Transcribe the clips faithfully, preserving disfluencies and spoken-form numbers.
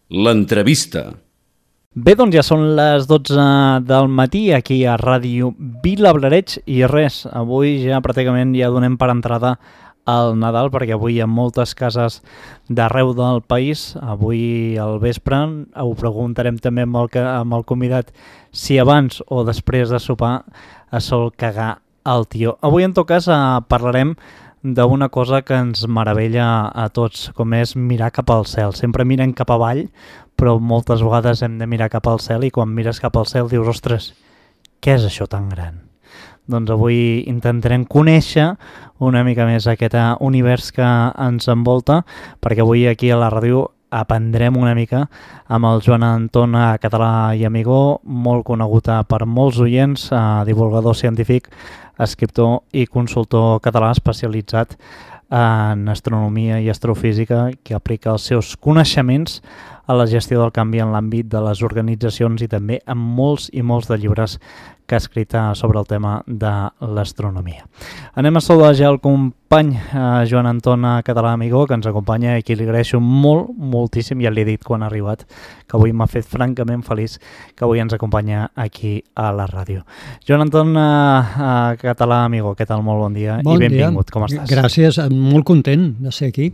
L'entrevista. Bé, doncs ja són les dotze del matí aquí a Ràdio Vilablareix i res, avui ja pràcticament ja donem per entrada al Nadal perquè avui hi ha moltes cases d'arreu del país. Avui al vespre ho preguntarem també amb el, amb el convidat si abans o després de sopar es sol cagar el tió. Avui en tot cas parlarem d'una cosa que ens meravella a tots, com és mirar cap al cel. Sempre mirem cap avall, però moltes vegades hem de mirar cap al cel i quan mires cap al cel dius, ostres, què és això tan gran? Doncs avui intentarem conèixer una mica més aquest univers que ens envolta, perquè avui aquí a la ràdio aprendrem una mica amb el Joan Anton Català i Amigó, molt conegut per molts oients, divulgador científic, escriptor i consultor català especialitzat en astronomia i astrofísica, que aplica els seus coneixements a la gestió del canvi en l'àmbit de les organitzacions i també en molts i molts de llibres que ha escrit sobre el tema de l'astronomia. Anem a saludar ja el company eh, Joan Anton Català Amigó, que ens acompanya i qui li agraeixo molt, moltíssim, ja l'he dit quan ha arribat, que avui m'ha fet francament feliç que avui ens acompanya aquí a la ràdio. Joan Anton eh, eh, Català Amigó, què tal? Molt bon dia bon i benvingut, dia. Com estàs? Gràcies, molt content de ser aquí.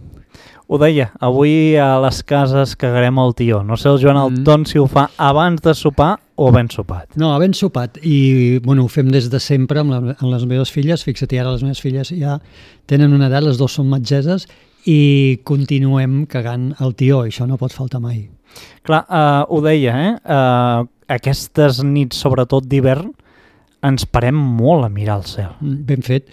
Ho deia, avui a les cases cagarem el tió. No sé el Joan Anton si ho fa abans de sopar o ben sopat. No, ben sopat. I bueno, ho fem des de sempre amb, la, amb les meves filles. Fixa't, ara les meves filles ja tenen una edat, les dues són metgesses, i continuem cagant el tió. Això no pot faltar mai. Clar, uh, ho deia, eh? Uh, aquestes nits, sobretot d'hivern, ens parem molt a mirar el cel. Ben fet.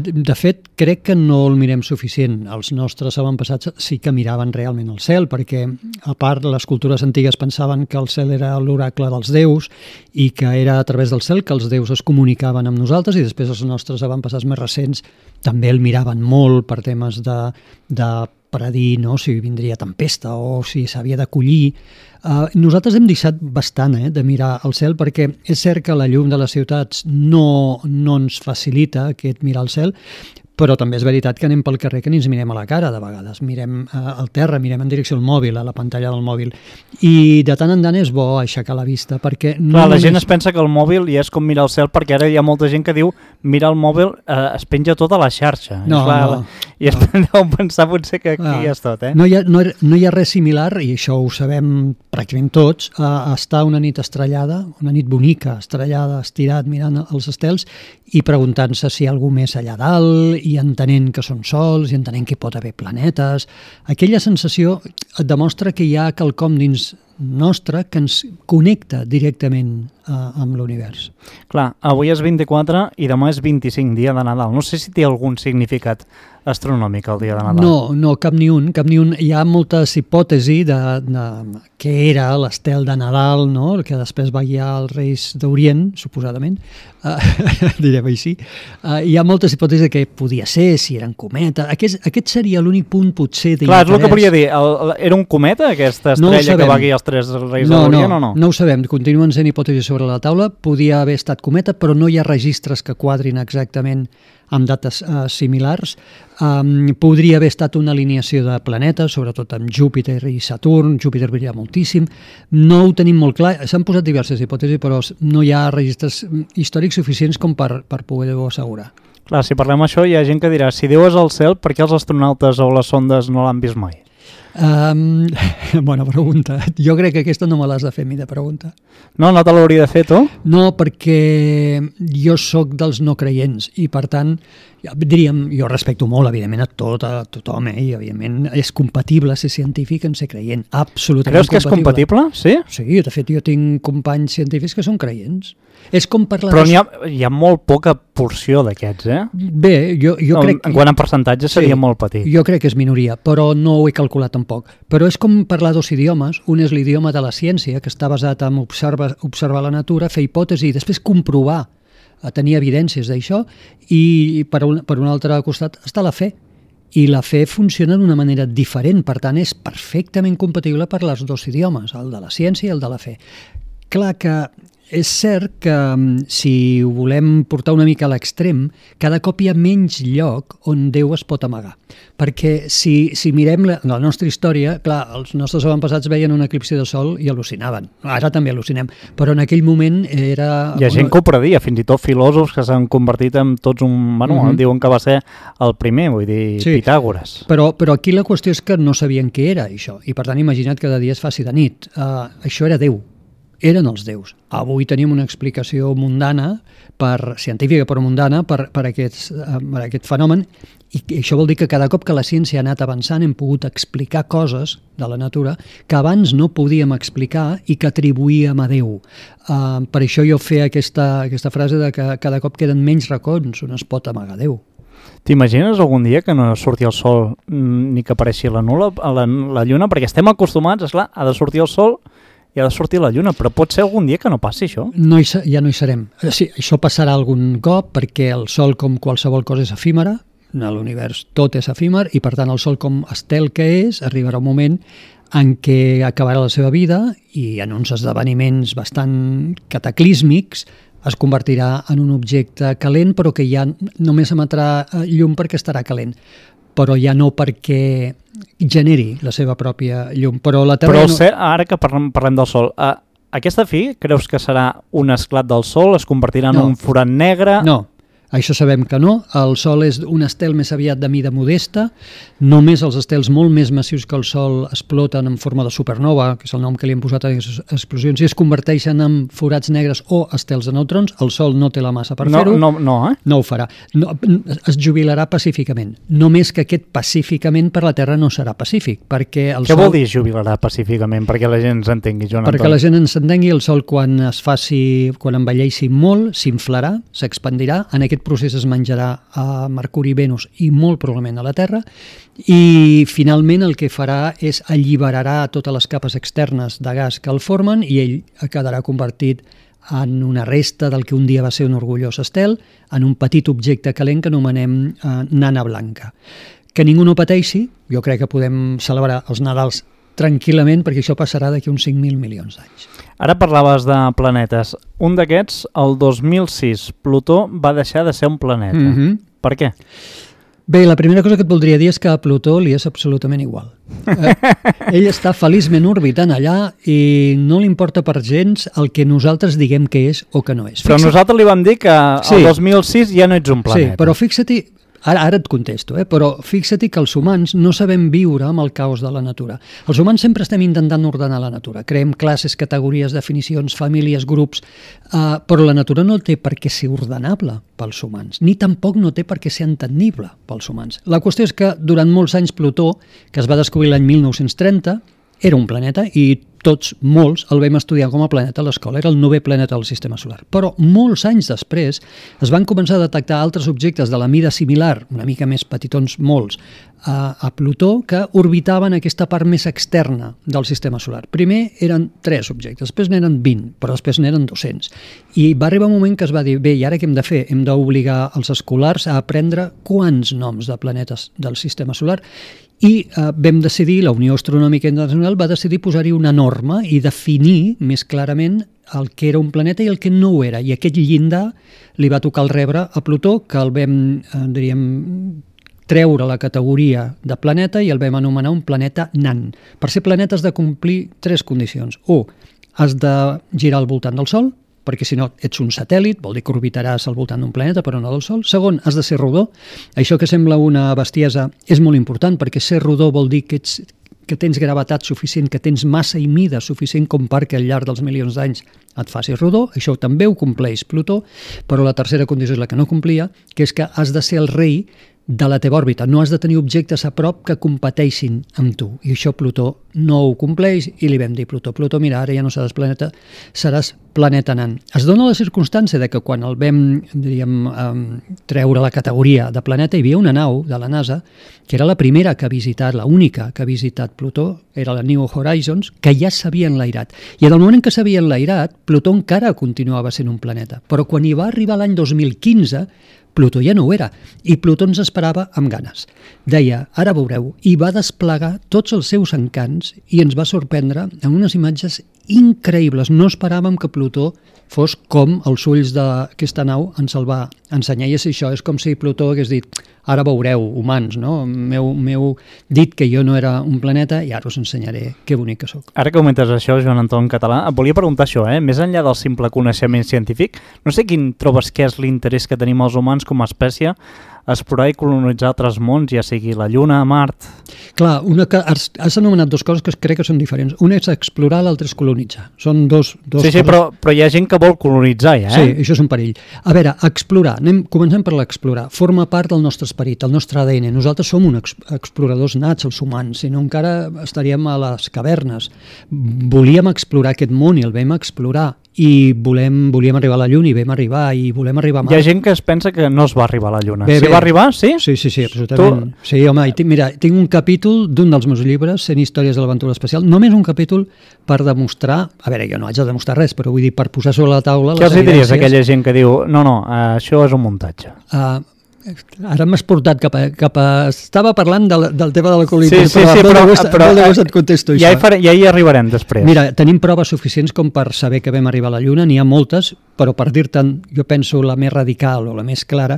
De fet, crec que no el mirem suficient. Els nostres avantpassats sí que miraven realment el cel, perquè, a part, les cultures antigues pensaven que el cel era l'oracle dels déus i que era a través del cel que els déus es comunicaven amb nosaltres, i després els nostres avantpassats més recents també el miraven molt per temes de, de predir, no?, si vindria tempesta o si s'havia de collir. Uh, nosaltres hem deixat bastant eh, de mirar al cel, perquè és cert que la llum de les ciutats no, no ens facilita aquest mirar al cel, però també és veritat que anem pel carrer que ni ens mirem a la cara de vegades, mirem uh, al terra, mirem en direcció al mòbil, a la pantalla del mòbil, i de tant en tant és bo aixecar la vista, perquè... No Clar, la només... gent es pensa que el mòbil ja és com mirar el cel, perquè ara hi ha molta gent que diu mirar el mòbil eh, es penja tota la xarxa. No, I, clar, no, I es no. deu pensar potser que aquí ah, ja és tot, eh? No hi, ha, no, no hi ha res similar, i això ho sabem pràcticament tots, a estar una nit estrellada, una nit bonica, estrellada, estirat, mirant els estels i preguntant-se si hi ha algú més allà dalt, i entenent que són sols, i entenent que hi pot haver planetes. Aquella sensació et demostra que hi ha quelcom dins nostre que ens connecta directament eh, amb l'univers. Clar, avui és vint-i-quatre i demà és vint-i-cinc, dia de Nadal. No sé si té algun significat astronòmic el dia de Nadal. No, no, cap ni un, cap ni un. Hi ha moltes hipòtesis de, de què era l'estel de Nadal, no?, el que després va guiar els Reis d'Orient, suposadament, uh, direm així. Uh, hi ha moltes hipòtesis de què podia ser, si eren cometa. Aquest, aquest seria l'únic punt potser d'interès. Clar, és el que volia dir. El, el, era un cometa, aquesta estrella no que va guiar els tres Reis no, d'Orient, no, o no? No ho sabem. Continuen sent hipòtesis sobre la taula. Podia haver estat cometa, però no hi ha registres que quadrin exactament amb dates uh, similars. Um, podria haver estat una alineació de planetes, sobretot amb Júpiter i Saturn. Júpiter brilla moltíssim. No ho tenim molt clar. S'han posat diverses hipòtesis, però no hi ha registres històrics suficients com per, per poder-ho assegurar. Clar, si parlem això, hi ha gent que dirà, si Déu és al cel, per què els astronautes o les sondes no l'han vist mai? Um, bona pregunta. Jo crec que aquesta no me l'has de fer a mi de pregunta. No, no te l'hauria de fer tu? No, perquè jo sóc dels no creients i per tant, diríem, jo respecto molt evidentment a tot, a tothom, eh? I evidentment és compatible ser científic en ser creient, absolutament. Creus que és compatible? Sí? Sí, de fet jo tinc companys científics que són creients. És com parlar... Però n'hi ha, hi ha molt poca porció d'aquests, eh? Bé, jo, jo no, crec... En quant a percentatge seria sí, molt petit. Jo crec que és minoria, però no ho he calculat tampoc. Però és com parlar dos idiomes. Un és l'idioma de la ciència, que està basat en observar, observar la natura, fer hipòtesi i després comprovar, a tenir evidències d'això, i per un, per un altre costat està la fe. I la fe funciona d'una manera diferent, per tant és perfectament compatible per als dos idiomes, el de la ciència i el de la fe. Clar que és cert que si ho volem portar una mica a l'extrem, cada cop hi ha menys lloc on Déu es pot amagar. Perquè si, si mirem la, la nostra història, clar, els nostres avantpassats veien un eclipsi de sol i al·lucinaven. Ara també al·lucinem, però en aquell moment era... Hi ha gent que ho predia, fins i tot filòsofs que s'han convertit en tots un... Bueno, uh-huh. diuen que va ser el primer, vull dir, sí. Pitàgores. Però, però aquí la qüestió és que no sabien què era això, i per tant imagina't que de dia es faci de nit. Uh, això era Déu. Eren els déus. Avui tenim una explicació mundana, per, científica però mundana, per, per, aquest, per aquest fenomen, i això vol dir que cada cop que la ciència ha anat avançant hem pogut explicar coses de la natura que abans no podíem explicar i que atribuïem a Déu. Uh, per això jo feia aquesta, aquesta frase de que cada cop queden menys racons on es pot amagar Déu. T'imagines algun dia que no surti el sol ni que apareixi la, nula, la, la lluna? Perquè estem acostumats, esclar, ha de sortir el sol i ha de sortir la lluna, però pot ser algun dia que no passi això? No hi, ja no hi serem. Sí, això passarà algun cop perquè el sol, com qualsevol cosa, és efímera, a l'univers tot és efímer i per tant el sol, com estel que és, arribarà un moment en què acabarà la seva vida i en uns esdeveniments bastant cataclísmics es convertirà en un objecte calent però que ja només emetrà llum perquè estarà calent, però ja no perquè generi la seva pròpia llum. Però, la Terra però no... sé, ara que parlem, parlem del Sol, uh, aquesta fi creus que serà un esclat del Sol? Es convertirà en no. un forat negre? No, això sabem que no. El Sol és un estel més aviat de mida modesta. Només els estels molt més massius que el Sol exploten en forma de supernova, que és el nom que li han posat a les explosions, i es converteixen en forats negres o estels de neutrons. El Sol no té la massa per no, fer-ho. No, no, eh? No ho farà. No, es jubilarà pacíficament. Només que aquest pacíficament per la Terra no serà pacífic, perquè el Què Sol... vol dir jubilarà pacíficament? Perquè la gent s'entengui, Joan Antoni. Perquè la gent ens entengui, el Sol quan es faci, quan envelleixi molt, s'inflarà, s'expandirà, en aquest procés es menjarà a Mercuri, Venus i molt probablement a la Terra, i finalment el que farà és alliberarà totes les capes externes de gas que el formen i ell quedarà convertit en una resta del que un dia va ser un orgullós estel, en un petit objecte calent que anomenem eh, nana blanca. Que ningú no pateixi, jo crec que podem celebrar els Nadals tranquil·lament perquè això passarà d'aquí uns cinc mil milions d'anys. Ara parlaves de planetes. Un d'aquests, el dos mil sis, Plutó va deixar de ser un planeta. Mm-hmm. Per què? Bé, la primera cosa que et voldria dir és que a Plutó li és absolutament igual. Eh, ell està feliçment orbitant allà i no li importa per gens el que nosaltres diguem que és o que no és. Però Fixa't... nosaltres li vam dir que sí. el dos mil sis ja no ets un planeta. Sí, però fixa't, ara, ara et contesto, eh? però fixa't que els humans no sabem viure amb el caos de la natura. Els humans sempre estem intentant ordenar la natura. Creem classes, categories, definicions, famílies, grups, eh, però la natura no té per què ser ordenable pels humans, ni tampoc no té per què ser entendible pels humans. La qüestió és que durant molts anys Plutó, que es va descobrir l'any mil nou-cents trenta, era un planeta i tots, molts, el vam estudiar com a planeta a l'escola, era el novè planeta del sistema solar. Però molts anys després es van començar a detectar altres objectes de la mida similar, una mica més petitons, molts, a, a Plutó, que orbitaven aquesta part més externa del sistema solar. Primer eren tres objectes, després n'eren vint, però després n'eren dos-cents. I va arribar un moment que es va dir, bé, i ara què hem de fer? Hem d'obligar els escolars a aprendre quants noms de planetes del sistema solar. I eh, vam decidir, la Unió Astronòmica Internacional va decidir posar-hi una norma i definir més clarament el que era un planeta i el que no ho era. I aquest llindar li va tocar el rebre a Plutó, que el vam, eh, diríem, treure la categoria de planeta i el vam anomenar un planeta nan. Per ser planeta has de complir tres condicions. U, has de girar al voltant del Sol, perquè si no ets un satèl·lit, vol dir que orbitaràs al voltant d'un planeta però no del Sol. Segon, has de ser rodó. Això que sembla una bestiesa és molt important perquè ser rodó vol dir que, ets, que tens gravetat suficient, que tens massa i mida suficient com perquè al llarg dels milions d'anys et facis rodó. Això també ho compleix Plutó, però la tercera condició és la que no complia, que és que has de ser el rei de la teva òrbita. No has de tenir objectes a prop que competeixin amb tu. I això Plutó no ho compleix i li vam dir Plutó, Plutó, mira, ara ja no seràs planeta, seràs planeta nan. Es dona la circumstància de que quan el vam, diríem, um, treure la categoria de planeta, hi havia una nau de la NASA que era la primera que ha visitat, la única que ha visitat Plutó, era la New Horizons, que ja s'havia enlairat. I en el moment en què s'havia enlairat, Plutó encara continuava sent un planeta. Però quan hi va arribar l'any dos mil quinze, Plutó ja no ho era, i Plutó ens esperava amb ganes. Deia, ara veureu, i va desplegar tots els seus encants i ens va sorprendre amb unes imatges increïbles. No esperàvem que Plutó fos com els ulls d'aquesta nau ens el va ensenyar. I és això, és com si Plutó hagués dit ara veureu, humans, no? M'heu dit que jo no era un planeta i ara us ensenyaré que bonic que sóc. Ara que comentes això, Joan Anton Català, et volia preguntar això, eh? Més enllà del simple coneixement científic, no sé quin trobes que és l'interès que tenim els humans com a espècie a explorar i colonitzar altres mons, ja sigui la Lluna, Mart... Clar, una que has, has anomenat dues coses que crec que són diferents. Una és explorar, l'altra és colonitzar. Són dos, dos sí, sí, coses... però, però hi ha gent que vol colonitzar, ja, eh? Sí, això és un perill. A veure, explorar, anem, comencem per l'explorar. Forma part del nostre esperit, el nostre A D N. Nosaltres som uns exploradors nats, els humans, si no encara estaríem a les cavernes. Volíem explorar aquest món i el vam explorar. I volem, volíem arribar a la Lluna i vam arribar, i volem arribar a Mart. Hi ha gent que es pensa que no es va arribar a la Lluna. Bé, sí, bé. va arribar, sí? Sí, sí, sí, absolutament. Tu... Sí, home, i tinc, mira, tinc un capítol d'un dels meus llibres, cent històries de l'aventura espacial, només un capítol per demostrar, a veure, jo no haig de demostrar res, però vull dir, per posar sobre la taula Què les els diries evidències. a aquella gent que diu, no, no, això és un muntatge? Uh, Ara m'has portat cap a, cap a... Estava parlant del, del tema de la colonizació, sí, sí, sí, però, però, però, però, però et contesto ja això. Hi faré, ja hi arribarem després. Mira, tenim proves suficients com per saber que vam arribar a la Lluna, n'hi ha moltes, però per dir-te'n, jo penso la més radical o la més clara,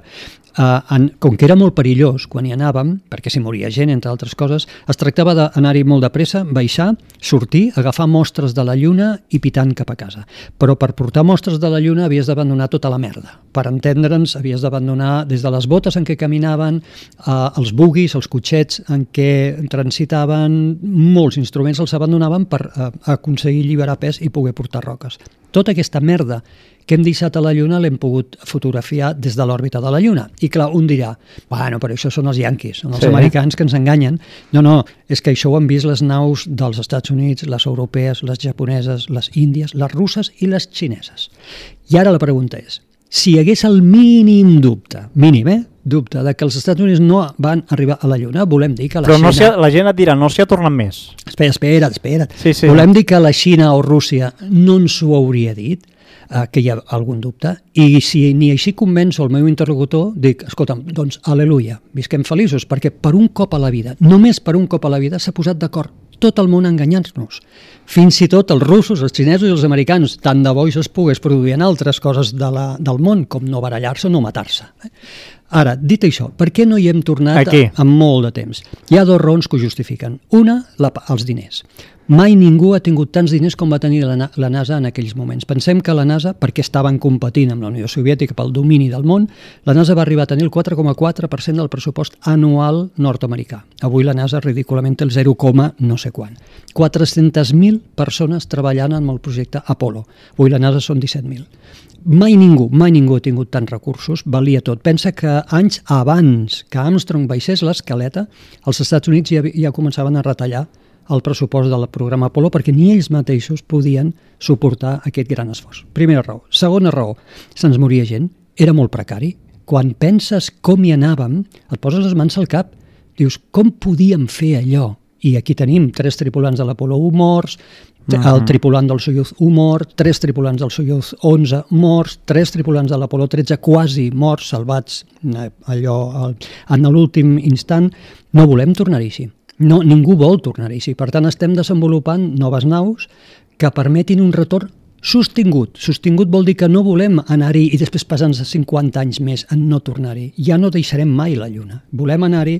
eh, en, com que era molt perillós quan hi anàvem, perquè s'hi moria gent, entre altres coses, es tractava d'anar-hi molt de pressa, baixar, sortir, agafar mostres de la Lluna i pitant cap a casa. Però per portar mostres de la Lluna havies d'abandonar tota la merda. Per entendre'ns, havies d'abandonar des de les botes en què caminaven, eh, els buguis, els cotxets en què transitaven, molts instruments els abandonaven per eh, aconseguir alliberar pes i poder portar roques. Tota aquesta merda que hem deixat a la Lluna l'hem pogut fotografiar des de l'òrbita de la Lluna. I clar, un dirà, bueno, però això són els yanquis, són els sí. americans que ens enganyen. No, no, és que això ho han vist les naus dels Estats Units, les europees, les japoneses, les índies, les russes i les xineses. I ara la pregunta és, si hi hagués el mínim dubte, mínim, eh? dubte, de que els Estats Units no van arribar a la Lluna, volem dir que la Però Xina... Però no la gent et dirà, no s'hi ha tornat més. Espera, espera, espera. Sí, sí. Volem dir que la Xina o Rússia no ens ho hauria dit, eh, que hi ha algun dubte, i si ni així convenço el meu interlocutor, dic, escolta'm, doncs, aleluia, visquem feliços, perquè per un cop a la vida, només per un cop a la vida, s'ha posat d'acord tot el món a enganyar-nos. Fins i tot els russos, els xinesos i els americans, tant de bo això es pogués produir en altres coses de la, del món, com no barallar-se o no matar-se. Ara, dit això, per què no hi hem tornat a, a molt de temps? Hi ha dues raons que ho justifiquen. Una, la, els diners. Mai ningú ha tingut tants diners com va tenir la, la NASA en aquells moments. Pensem que la NASA, perquè estaven competint amb la Unió Soviètica pel domini del món, la NASA va arribar a tenir el quatre coma quatre per cent del pressupost anual nord-americà. Avui la NASA ridículament té el zero, no sé quan. quatre-centes mil persones treballant amb el projecte Apollo. Avui la NASA són disset mil. Mai ningú, mai ningú ha tingut tants recursos, valia tot. Pensa que anys abans que Armstrong baixés l'escaleta, els Estats Units ja, ja començaven a retallar el pressupost del programa Apollo perquè ni ells mateixos podien suportar aquest gran esforç. Primera raó. Segona raó, se'ns moria gent, era molt precari. Quan penses com hi anàvem, et poses les mans al cap, dius, com podíem fer allò? I aquí tenim tres tripulants de l'Apollo u morts, el tripulant del Soyuz u mort, tres tripulants del Soyuz onze morts, tres tripulants de l'Apollo tretze quasi morts, salvats allò en l'últim instant. No volem tornar-hi així. No, ningú vol tornar-hi així. Per tant, estem desenvolupant noves naus que permetin un retorn sostingut. Sostingut vol dir que no volem anar-hi i després passar-nos cinquanta anys més en no tornar-hi. Ja no deixarem mai la Lluna. Volem anar-hi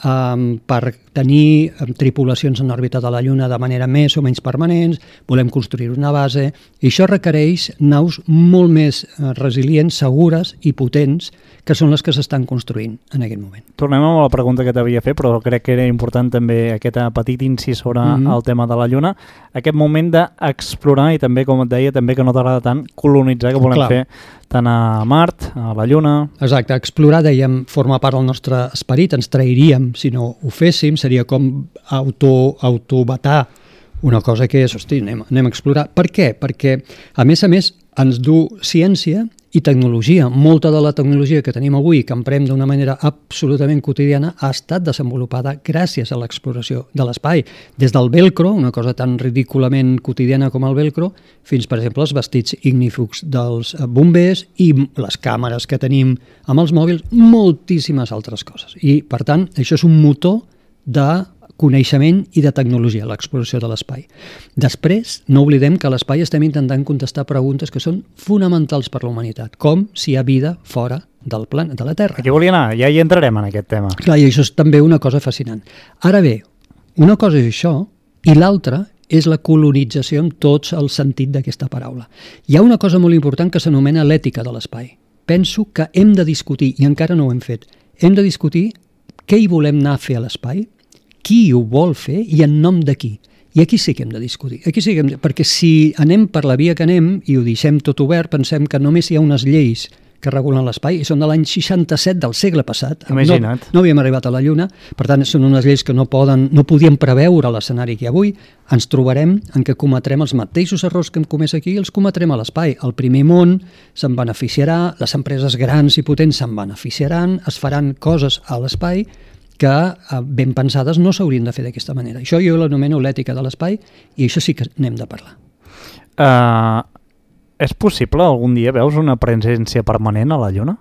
um, per tenir um, tripulacions en òrbita de la Lluna de manera més o menys permanents, volem construir una base, i això requereix naus molt més uh, resilients, segures i potents, que són les que s'estan construint en aquest moment. Tornem a la pregunta que t'havia fet, però crec que era important també aquest petit incís sobre mm-hmm. el tema de la Lluna, aquest moment d'explorar i també, com et deia, també que no t'agrada tant colonitzar, que volem Clar. fer tant a Mart, a la Lluna... Exacte, explorar, dèiem, forma part del nostre esperit, ens trairíem si no ho féssim, seria com auto, autobatar una cosa que és, hosti, anem, anem a explorar. Per què? Perquè, a més a més, ens du ciència i tecnologia. Molta de la tecnologia que tenim avui, que emprem d'una manera absolutament quotidiana, ha estat desenvolupada gràcies a l'exploració de l'espai. Des del velcro, una cosa tan ridículament quotidiana com el velcro, fins, per exemple, els vestits ignífugs dels bombers i les càmeres que tenim amb els mòbils, moltíssimes altres coses. I, per tant, això és un motor de coneixement i de tecnologia, l'exploració de l'espai. Després, no oblidem que a l'espai estem intentant contestar preguntes que són fonamentals per la humanitat, com si hi ha vida fora del planeta, de la Terra. Aquí volia anar, ja hi entrarem en aquest tema. Clar, i això és també una cosa fascinant. Ara bé, una cosa és això i l'altra és la colonització en tot el sentit d'aquesta paraula. Hi ha una cosa molt important que s'anomena l'ètica de l'espai. Penso que hem de discutir, i encara no ho hem fet, hem de discutir què hi volem anar a fer a l'espai, qui ho vol fer i en nom de qui. I aquí sí que hem de discutir. Aquí sí que hem de... Perquè si anem per la via que anem i ho deixem tot obert, pensem que només hi ha unes lleis que regulen l'espai, i són de l'any seixanta-set del segle passat. Imagina't. No, no havíem arribat a la Lluna, per tant, són unes lleis que no poden, no podien preveure l'escenari que hi ha avui. Ens trobarem en què cometrem els mateixos errors que hem comès aquí i els cometrem a l'espai. El primer món se'n beneficiarà, les empreses grans i potents se'n beneficiaran, es faran coses a l'espai que ben pensades no s'haurien de fer d'aquesta manera. Això jo l'anomeno l'ètica de l'espai i això sí que n'hem de parlar. Uh... És possible algun dia veus una presència permanent a la Lluna?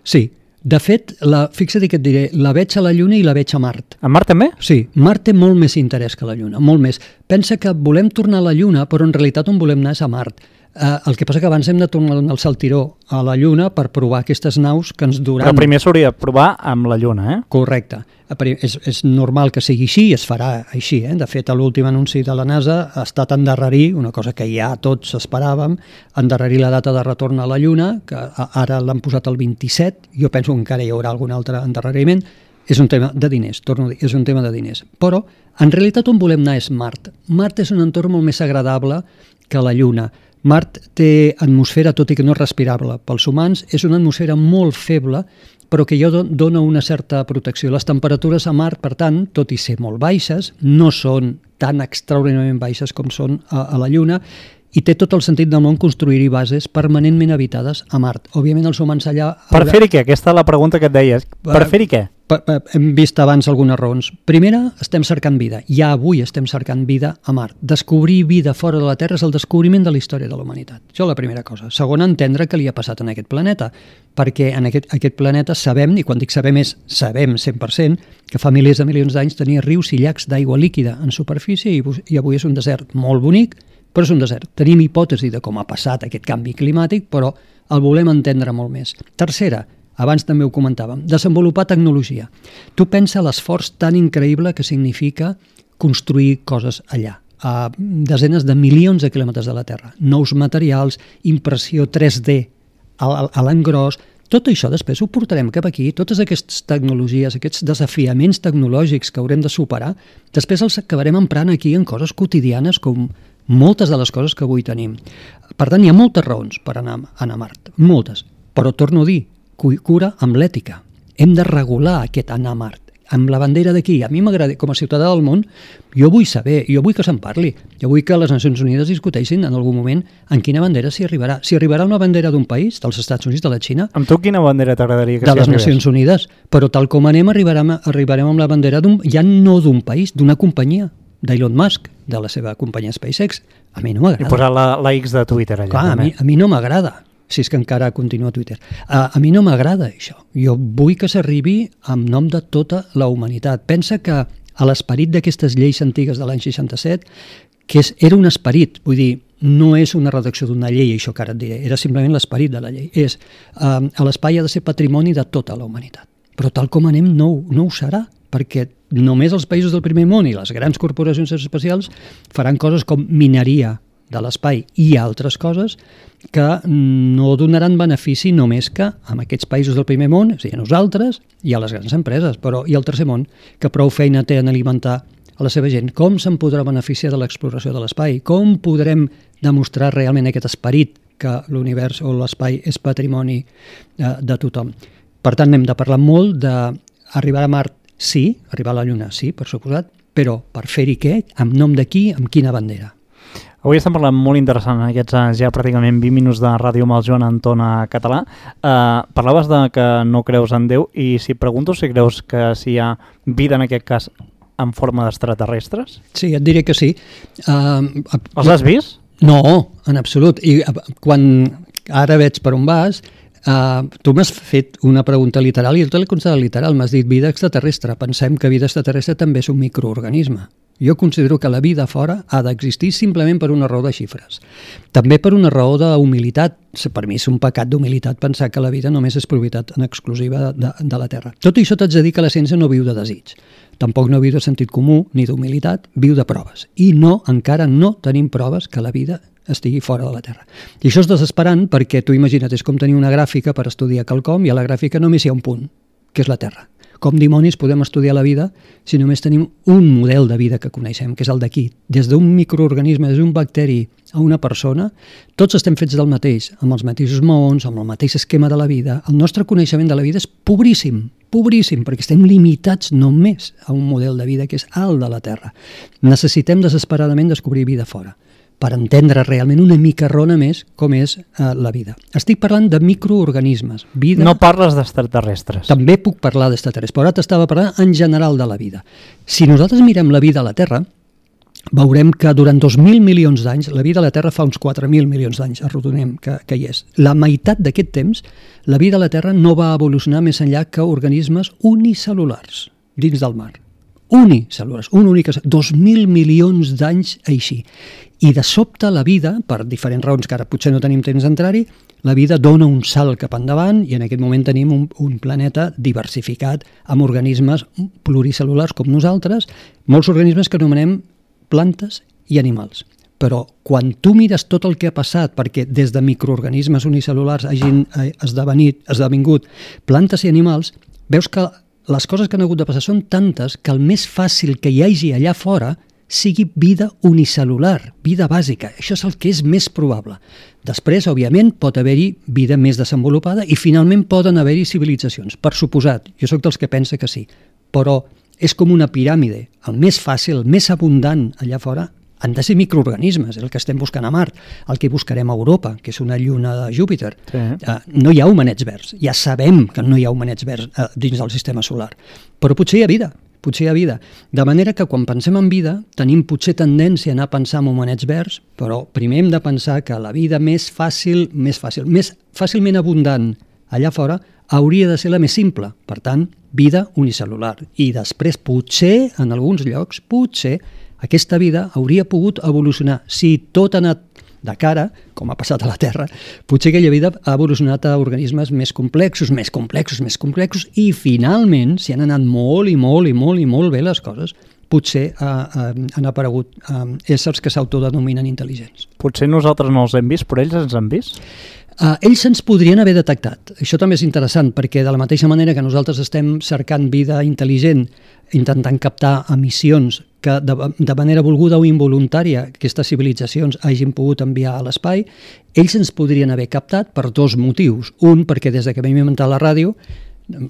Sí. De fet, la, fixa't que et diré, la veig a la Lluna i la veig a Mart. A Mart també? Sí, Mart té molt més interès que la Lluna, molt més. Pensa que volem tornar a la Lluna, però en realitat on volem anar és a Mart. Eh, el que passa que abans hem de tornar al saltiró a la Lluna per provar aquestes naus que ens duran... Però primer s'hauria de provar amb la Lluna, eh? Correcte. És, és normal que sigui així i es farà així. Eh? De fet, l'últim anunci de la NASA ha estat endarrerir, una cosa que ja tots esperàvem, endarrerir la data de retorn a la Lluna, que ara l'han posat el vint-i-set, jo penso que encara hi haurà algun altre endarreriment. És un tema de diners, torno a dir, és un tema de diners. Però, en realitat, on volem anar és Mart. Mart és un entorn molt més agradable que la Lluna. Mart té atmosfera, tot i que no és respirable pels humans, és una atmosfera molt feble, però que ja dona una certa protecció. Les temperatures a Mart, per tant, tot i ser molt baixes, no són tan extraordinàriament baixes com són a, a la Lluna, i té tot el sentit del món construir-hi bases permanentment habitades a Mart. Òbviament els humans allà... Per fer-hi què? Aquesta és la pregunta que et deies. Per fer-hi què? Per, per, hem vist abans algunes raons. Primera, estem cercant vida. Ja avui estem cercant vida a Mart. Descobrir vida fora de la Terra és el descobriment de la història de la humanitat. Això és la primera cosa. Segona, entendre què li ha passat en aquest planeta, perquè en aquest, aquest planeta sabem, i quan dic sabem és sabem cent per cent, que fa milers de milions d'anys tenia rius i llacs d'aigua líquida en superfície i, i avui és un desert molt bonic, però és un desert. Tenim hipòtesi de com ha passat aquest canvi climàtic, però el volem entendre molt més. Tercera, abans també ho comentàvem, desenvolupar tecnologia. Tu pensa l'esforç tan increïble que significa construir coses allà, a desenes de milions de quilòmetres de la Terra. Nous materials, impressió tres D a, a l'engròs, tot això després ho portarem cap aquí, totes aquestes tecnologies, aquests desafiaments tecnològics que haurem de superar, després els acabarem emprant aquí en coses quotidianes com moltes de les coses que avui tenim. Per tant, hi ha moltes raons per anar, anar a Mart, moltes. Però torno a dir, cura amb l'ètica. Hem de regular aquest anar a Mart, amb la bandera d'aquí. A mi m'agrada, com a ciutadà del món, jo vull saber, jo vull que se'n parli, jo vull que les Nacions Unides discuteixin en algun moment en quina bandera s'hi arribarà. Si arribarà una bandera d'un país, dels Estats Units, de la Xina... Amb tu quina bandera t'agradaria que s'hi arribés? De les arribés? Nacions Unides. Però tal com anem, arribarem, arribarem amb la bandera d'un, ja no d'un país, d'una companyia, d'Elon Musk, de la seva companyia SpaceX. A mi no m'agrada. I posar la, la X de Twitter allà. Clar, a mi, a mi no m'agrada, si és que encara continua a Twitter. A, a mi no m'agrada això. Jo vull que s'arribi en nom de tota la humanitat. Pensa que a l'esperit d'aquestes lleis antigues de l'any seixanta-set, que és, era un esperit, vull dir, no és una redacció d'una llei, això que ara et diré, era simplement l'esperit de la llei. És, eh, l'espai ha de ser patrimoni de tota la humanitat. Però tal com anem no, no ho serà, perquè només els països del primer món i les grans corporacions espacials faran coses com mineria de l'espai i altres coses que no donaran benefici només que amb aquests països del primer món, o sigui, a nosaltres i a les grans empreses, però i al tercer món, que prou feina té en alimentar a la seva gent. Com se'n podrà beneficiar de l'exploració de l'espai? Com podrem demostrar realment aquest esperit que l'univers o l'espai és patrimoni de, de tothom? Per tant, hem de parlar molt d'arribar a Mart. Sí, arribar a la Lluna, sí, per suposat, però per fer-hi què? En nom de qui? Amb quina bandera? Avui estem parlant molt interessant en aquests ja pràcticament vint minuts de Ràdio Maljon en tona català. Uh, parlaves de que no creus en Déu i si pregunto si creus que si hi ha vida en aquest cas en forma d'extraterrestres? Sí, et diré que sí. Uh, Els has vist? No, en absolut. I quan ara veig per on vas, Uh, tu m'has fet una pregunta literal i jo te l'he contestat literal, m'has dit vida extraterrestre. Pensem que vida extraterrestre també és un microorganisme. Jo considero que la vida fora ha d'existir simplement per una raó de xifres. També per una raó d'humilitat. Per mi és un pecat d'humilitat pensar que la vida només és propietat en exclusiva de, de la Terra. Tot això t'haig de dir que la ciència no viu de desig. Tampoc no viu de sentit comú ni d'humilitat, viu de proves. I no, encara no tenim proves que la vida estigui fora de la Terra. I això és desesperant perquè tu imagina't, és com tenir una gràfica per estudiar quelcom i a la gràfica només hi ha un punt, que és la Terra. Com dimonis podem estudiar la vida si només tenim un model de vida que coneixem, que és el d'aquí. Des d'un microorganisme, des d'un bacteri a una persona, tots estem fets del mateix, amb els mateixos maons, amb el mateix esquema de la vida. El nostre coneixement de la vida és pobríssim, pobríssim, perquè estem limitats només a un model de vida que és el de la Terra. Necessitem desesperadament descobrir vida fora, per entendre realment una micarrona més com és eh, la vida. Estic parlant de microorganismes. Vida... No parles d'extraterrestres. També puc parlar d'extraterrestres, però ara t'estava parlant en general de la vida. Si nosaltres mirem la vida a la Terra, veurem que durant dos mil milions d'anys, la vida a la Terra fa uns quatre mil milions d'anys, arrodonem que, que hi és. La meitat d'aquest temps, la vida a la Terra no va evolucionar més enllà que organismes unicel·lulars dins del mar. Unicel·lulars, un únic... dos mil milions d'anys així. I de sobte la vida, per diferents raons que ara potser no tenim temps d'entrar-hi, la vida dona un salt cap endavant i en aquest moment tenim un, un planeta diversificat amb organismes pluricel·lulars com nosaltres, molts organismes que anomenem plantes i animals. Però quan tu mires tot el que ha passat perquè des de microorganismes unicel·lulars hagin esdevenit, esdevingut plantes i animals, veus que les coses que han hagut de passar són tantes que el més fàcil que hi hagi allà fora sigui vida unicel·lular, vida bàsica. Això és el que és més probable. Després, òbviament, pot haver-hi vida més desenvolupada i finalment poden haver-hi civilitzacions. Per suposat, jo sóc dels que pensa que sí, però és com una piràmide. El més fàcil, el més abundant allà fora han de ser microorganismes, és el que estem buscant a Mart, el que buscarem a Europa, que és una lluna de Júpiter. Sí. Uh, no hi ha homenets verds, ja sabem que no hi ha homenets verds uh, dins del sistema solar, però potser hi ha vida, potser hi ha vida. De manera que quan pensem en vida, tenim potser tendència a anar a pensar en homenets verds, però primer hem de pensar que la vida més fàcil, més fàcil, més fàcilment abundant allà fora, hauria de ser la més simple, per tant, vida unicel·lular. I després, potser, en alguns llocs, potser, aquesta vida hauria pogut evolucionar. Si tot ha anat de cara, com ha passat a la Terra, potser aquella vida ha evolucionat a organismes més complexos, més complexos, més complexos, i finalment, si han anat molt i molt i molt i molt bé les coses, potser uh, uh, han aparegut uh, éssers que s'autodenominen intel·ligents. Potser nosaltres no els hem vist, però ells ens han vist? Uh, ells ens podrien haver detectat. Això també és interessant, perquè de la mateixa manera que nosaltres estem cercant vida intel·ligent, intentant captar emissions que de, de manera volguda o involuntària aquestes civilitzacions hagin pogut enviar a l'espai, ells ens podrien haver captat per dos motius. Un, perquè des que vam inventar la ràdio,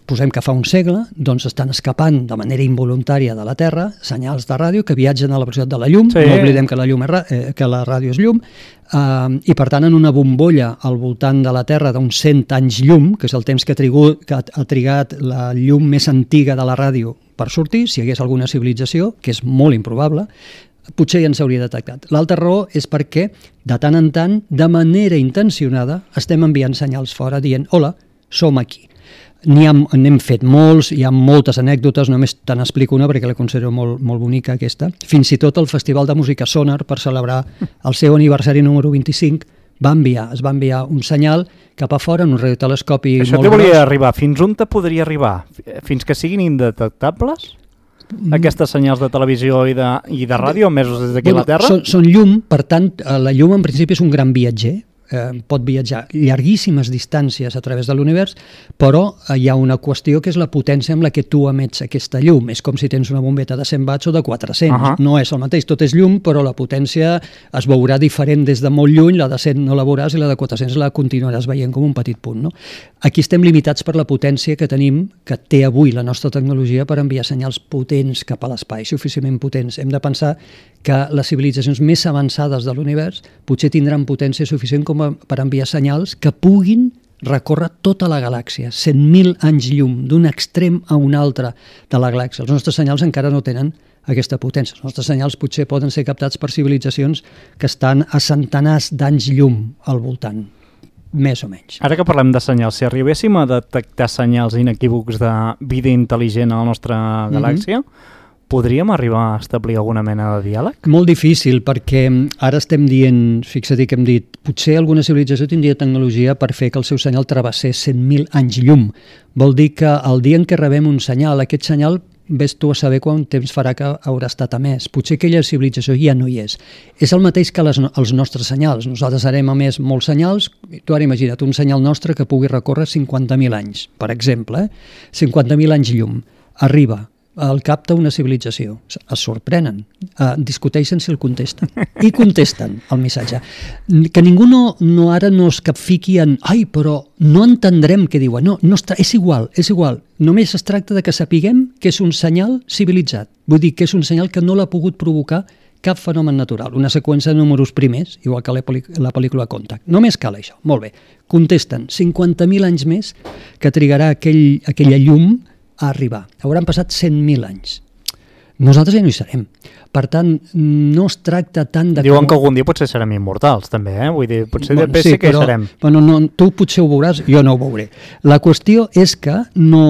posem que fa un segle, doncs estan escapant de manera involuntària de la Terra senyals de ràdio que viatgen a la velocitat de la llum, sí. No oblidem que la, llum és, eh, que la ràdio és llum, eh, i per tant en una bombolla al voltant de la Terra d'uns cent anys llum, que és el temps que ha, trigut, que ha trigat la llum més antiga de la ràdio per sortir, si hi hagués alguna civilització, que és molt improbable, potser ja ens hauria detectat. L'altra raó és perquè, de tant en tant, de manera intencionada, estem enviant senyals fora dient «Hola, som aquí». N'hi ha, n'hem fet molts, hi ha moltes anècdotes, només te n'explico una perquè la considero molt, molt bonica aquesta. Fins i tot el Festival de Música Sonar, per celebrar el seu aniversari número vint-i-cinc, va enviar, es va enviar un senyal cap a fora en un radiotelescopi Això molt gros. Això volia arribar. Fins on te podria arribar? Fins que siguin indetectables? Mm. Aquestes senyals de televisió i de, i de ràdio emesos des d'aquí bueno, a la Terra? Són, són llum, per tant, la llum en principi és un gran viatger, eh, pot viatjar llarguíssimes distàncies a través de l'univers, però eh, hi ha una qüestió que és la potència amb la que tu emets aquesta llum. És com si tens una bombeta de cent watts o de quatre-cents. Uh-huh. No és el mateix, tot és llum, però la potència es veurà diferent des de molt lluny, la de cent no la veuràs i la de quatre-cents la continuaràs veient com un petit punt. No? Aquí estem limitats per la potència que tenim, que té avui la nostra tecnologia per enviar senyals potents cap a l'espai, suficientment potents. Hem de pensar que les civilitzacions més avançades de l'univers potser tindran potència suficient com a, per enviar senyals que puguin recórrer tota la galàxia, cent mil anys llum, d'un extrem a un altre de la galàxia. Els nostres senyals encara no tenen aquesta potència. Els nostres senyals potser poden ser captats per civilitzacions que estan a centenars d'anys llum al voltant. més o menys. Ara que parlem de senyals, si arribéssim a detectar senyals inequívocs de vida intel·ligent a la nostra galàxia, mm-hmm. podríem arribar a establir alguna mena de diàleg? Molt difícil, perquè ara estem dient, fixa't que hem dit, potser alguna civilització tindria tecnologia per fer que el seu senyal travessés cent mil anys llum. Vol dir que el dia en què rebem un senyal, aquest senyal ves tu a saber quant temps farà que haurà estat emès. Potser aquella civilització ja no hi és. És el mateix que les, els nostres senyals. Nosaltres harem emès molts senyals. Tu ara imagina't un senyal nostre que pugui recórrer cinquanta mil anys, per exemple. Eh? cinquanta mil anys llum. Arriba, el capta una civilització. Es sorprenen. Uh, discuteixen si el contesten. I contesten el missatge. Que ningú no, no ara no es capfiqui en ai, però no entendrem què diuen. No, no està, és igual, és igual. Només es tracta de que sapiguem que és un senyal civilitzat. Vull dir que és un senyal que no l'ha pogut provocar cap fenomen natural. Una seqüència de números primers, igual que la, la pel·lícula Contact. Només cal això. Molt bé. Contesten. cinquanta mil anys més que trigarà aquell, aquella llum a arribar. Hauran passat cent mil anys. Nosaltres ja no hi serem. Per tant, no es tracta tant de... Diuen com... que algun dia potser serem immortals, també, eh? Vull dir, potser bueno, després sí, sí que però, hi serem. Bueno, no, tu potser ho veuràs, jo no ho veuré. La qüestió és que no,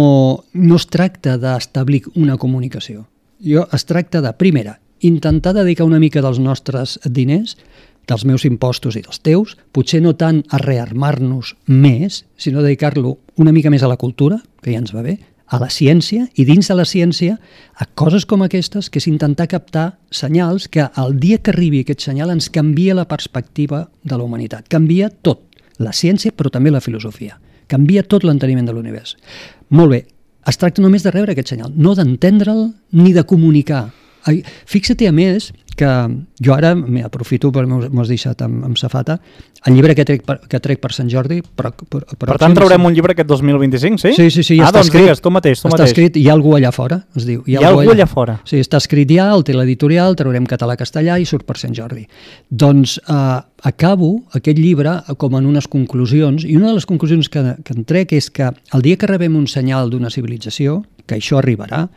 no es tracta d'establir una comunicació. Jo, es tracta de, primera, intentar dedicar una mica dels nostres diners, dels meus impostos i dels teus, potser no tant a rearmar-nos més, sinó dedicar-lo una mica més a la cultura, que ja ens va bé, a la ciència, i dins de la ciència a coses com aquestes, que és intentar captar senyals que el dia que arribi aquest senyal ens canvia la perspectiva de la humanitat. Canvia tot, la ciència però també la filosofia. Canvia tot l'enteniment de l'univers. Molt bé, es tracta només de rebre aquest senyal, no d'entendre'l ni de comunicar. Fixa-t'hi a més que jo ara m'aprofito, perquè m'ho has deixat amb, amb safata, el llibre que trec per, que trec per Sant Jordi... Per, per, per, per tant, traurem sí. un llibre aquest dos mil vint-i-cinc, sí? Sí, sí, sí, ja ah, està doncs escrit. Digues, tu mateix, tu està mateix. escrit, hi ha algú allà fora, es diu. Hi ha, hi ha algú allà, allà fora? Sí, està escrit ja, el té l'editorial, traurem català-castellà i surt per Sant Jordi. Doncs eh, acabo aquest llibre com en unes conclusions, i una de les conclusions que, que en trec és que el dia que rebem un senyal d'una civilització, que això arribarà,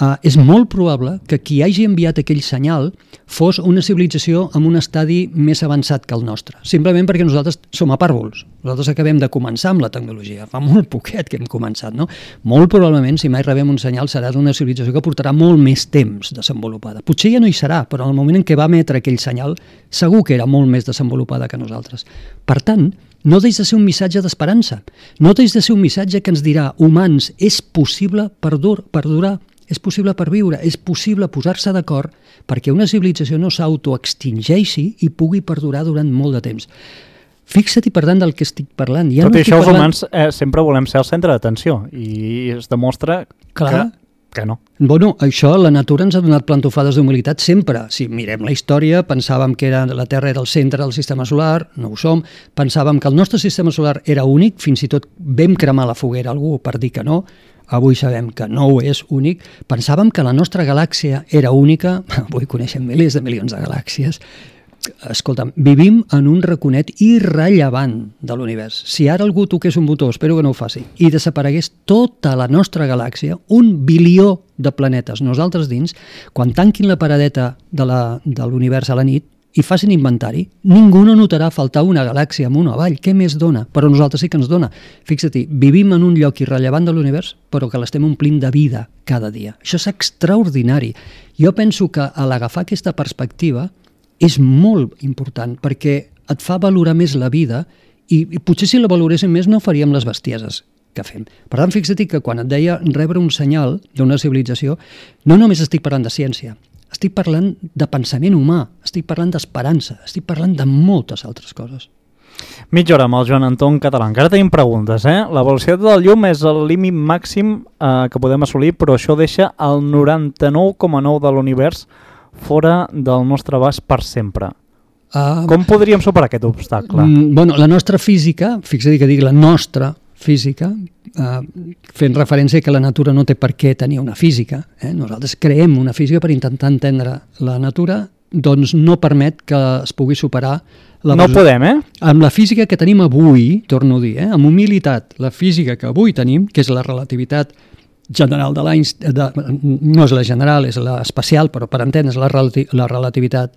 Uh, és molt probable que qui hagi enviat aquell senyal fos una civilització amb un estadi més avançat que el nostre, simplement perquè nosaltres som apàrvols. Nosaltres acabem de començar amb la tecnologia, fa molt poquet que hem començat, no? Molt probablement, si mai rebem un senyal, serà d'una civilització que portarà molt més temps desenvolupada. Potser ja no hi serà, però en el moment en què va emetre aquell senyal, segur que era molt més desenvolupada que nosaltres. Per tant, no deix de ser un missatge d'esperança, no deix de ser un missatge que ens dirà, humans, és possible perdur, perdurar, és possible perviure, és possible posar-se d'acord perquè una civilització no s'autoextingeixi i pugui perdurar durant molt de temps. Fixa't, per tant, del que estic parlant. Ja Tot no i això, parlant... els humans eh, sempre volem ser el centre d'atenció i es demostra Clar. que, que no. Bueno, això, la natura ens ha donat plantofades d'humilitat sempre. Si mirem la història, pensàvem que era, la Terra era el centre del sistema solar, no ho som. Pensàvem que el nostre sistema solar era únic, fins i tot vam cremar la foguera algú per dir que no. Avui sabem que no ho és únic. Pensàvem que la nostra galàxia era única. Avui coneixem milers de milions de galàxies. Escolta'm, vivim en un raconet irrellevant de l'univers. Si ara algú toqués un botó, espero que no ho faci, i desaparegués tota la nostra galàxia, un bilió de planetes, nosaltres dins, quan tanquin la paradeta de l'univers a la nit i facin inventari, ningú no notarà faltar una galàxia amunt o avall. Què més dona? Però nosaltres sí que ens dona. Fixa't, vivim en un lloc irrellevant de l'univers, però que l'estem omplint de vida cada dia. Això és extraordinari. Jo penso que a l'agafar aquesta perspectiva és molt important, perquè et fa valorar més la vida i, i potser si la valoréssim més no faríem les bestieses que fem. Per tant, fixa't que quan et deia rebre un senyal d'una civilització, no només estic parlant de ciència, estic parlant de pensament humà, estic parlant d'esperança, estic parlant de moltes altres coses. Mitja hora amb el Joan Anton Català. Encara tenim preguntes, eh? La velocitat del llum és el límit màxim eh, que podem assolir, però això deixa el noranta-nou coma nou de l'univers fora del nostre abast per sempre. Uh, Com podríem superar aquest obstacle? Mm, bueno, la nostra física, fixa't que dic la nostra física, eh, fent referència que la natura no té per què tenir una física, eh? Nosaltres creem una física per intentar entendre la natura, doncs no permet que es pugui superar la no podem, eh? Amb la física que tenim avui, torno a dir, eh? Amb humilitat, la física que avui tenim, que és la relativitat general de l'Einstein, no és la general, és l'especial, però per entendre's la, relati la relativitat,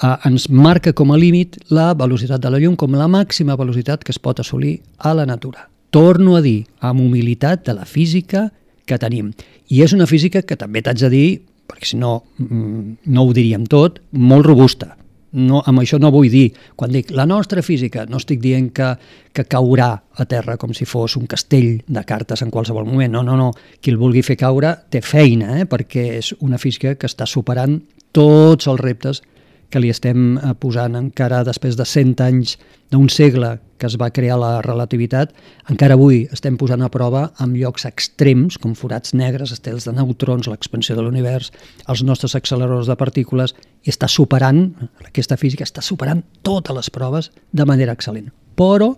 eh, ens marca com a límit la velocitat de la llum com la màxima velocitat que es pot assolir a la natura. Torno a dir, amb humilitat de la física que tenim. I és una física que també t'haig de dir, perquè si no, no ho diríem tot, molt robusta. No, amb això no vull dir, quan dic la nostra física, no estic dient que, que caurà a terra com si fos un castell de cartes en qualsevol moment. No, no, no. Qui el vulgui fer caure té feina, eh? Perquè és una física que està superant tots els reptes que li estem posant encara després de cent anys d'un segle que es va crear la relativitat. Encara avui estem posant a prova amb llocs extrems, com forats negres, estels de neutrons, l'expansió de l'univers, els nostres acceleradors de partícules, i està superant, aquesta física està superant totes les proves de manera excel·lent. Però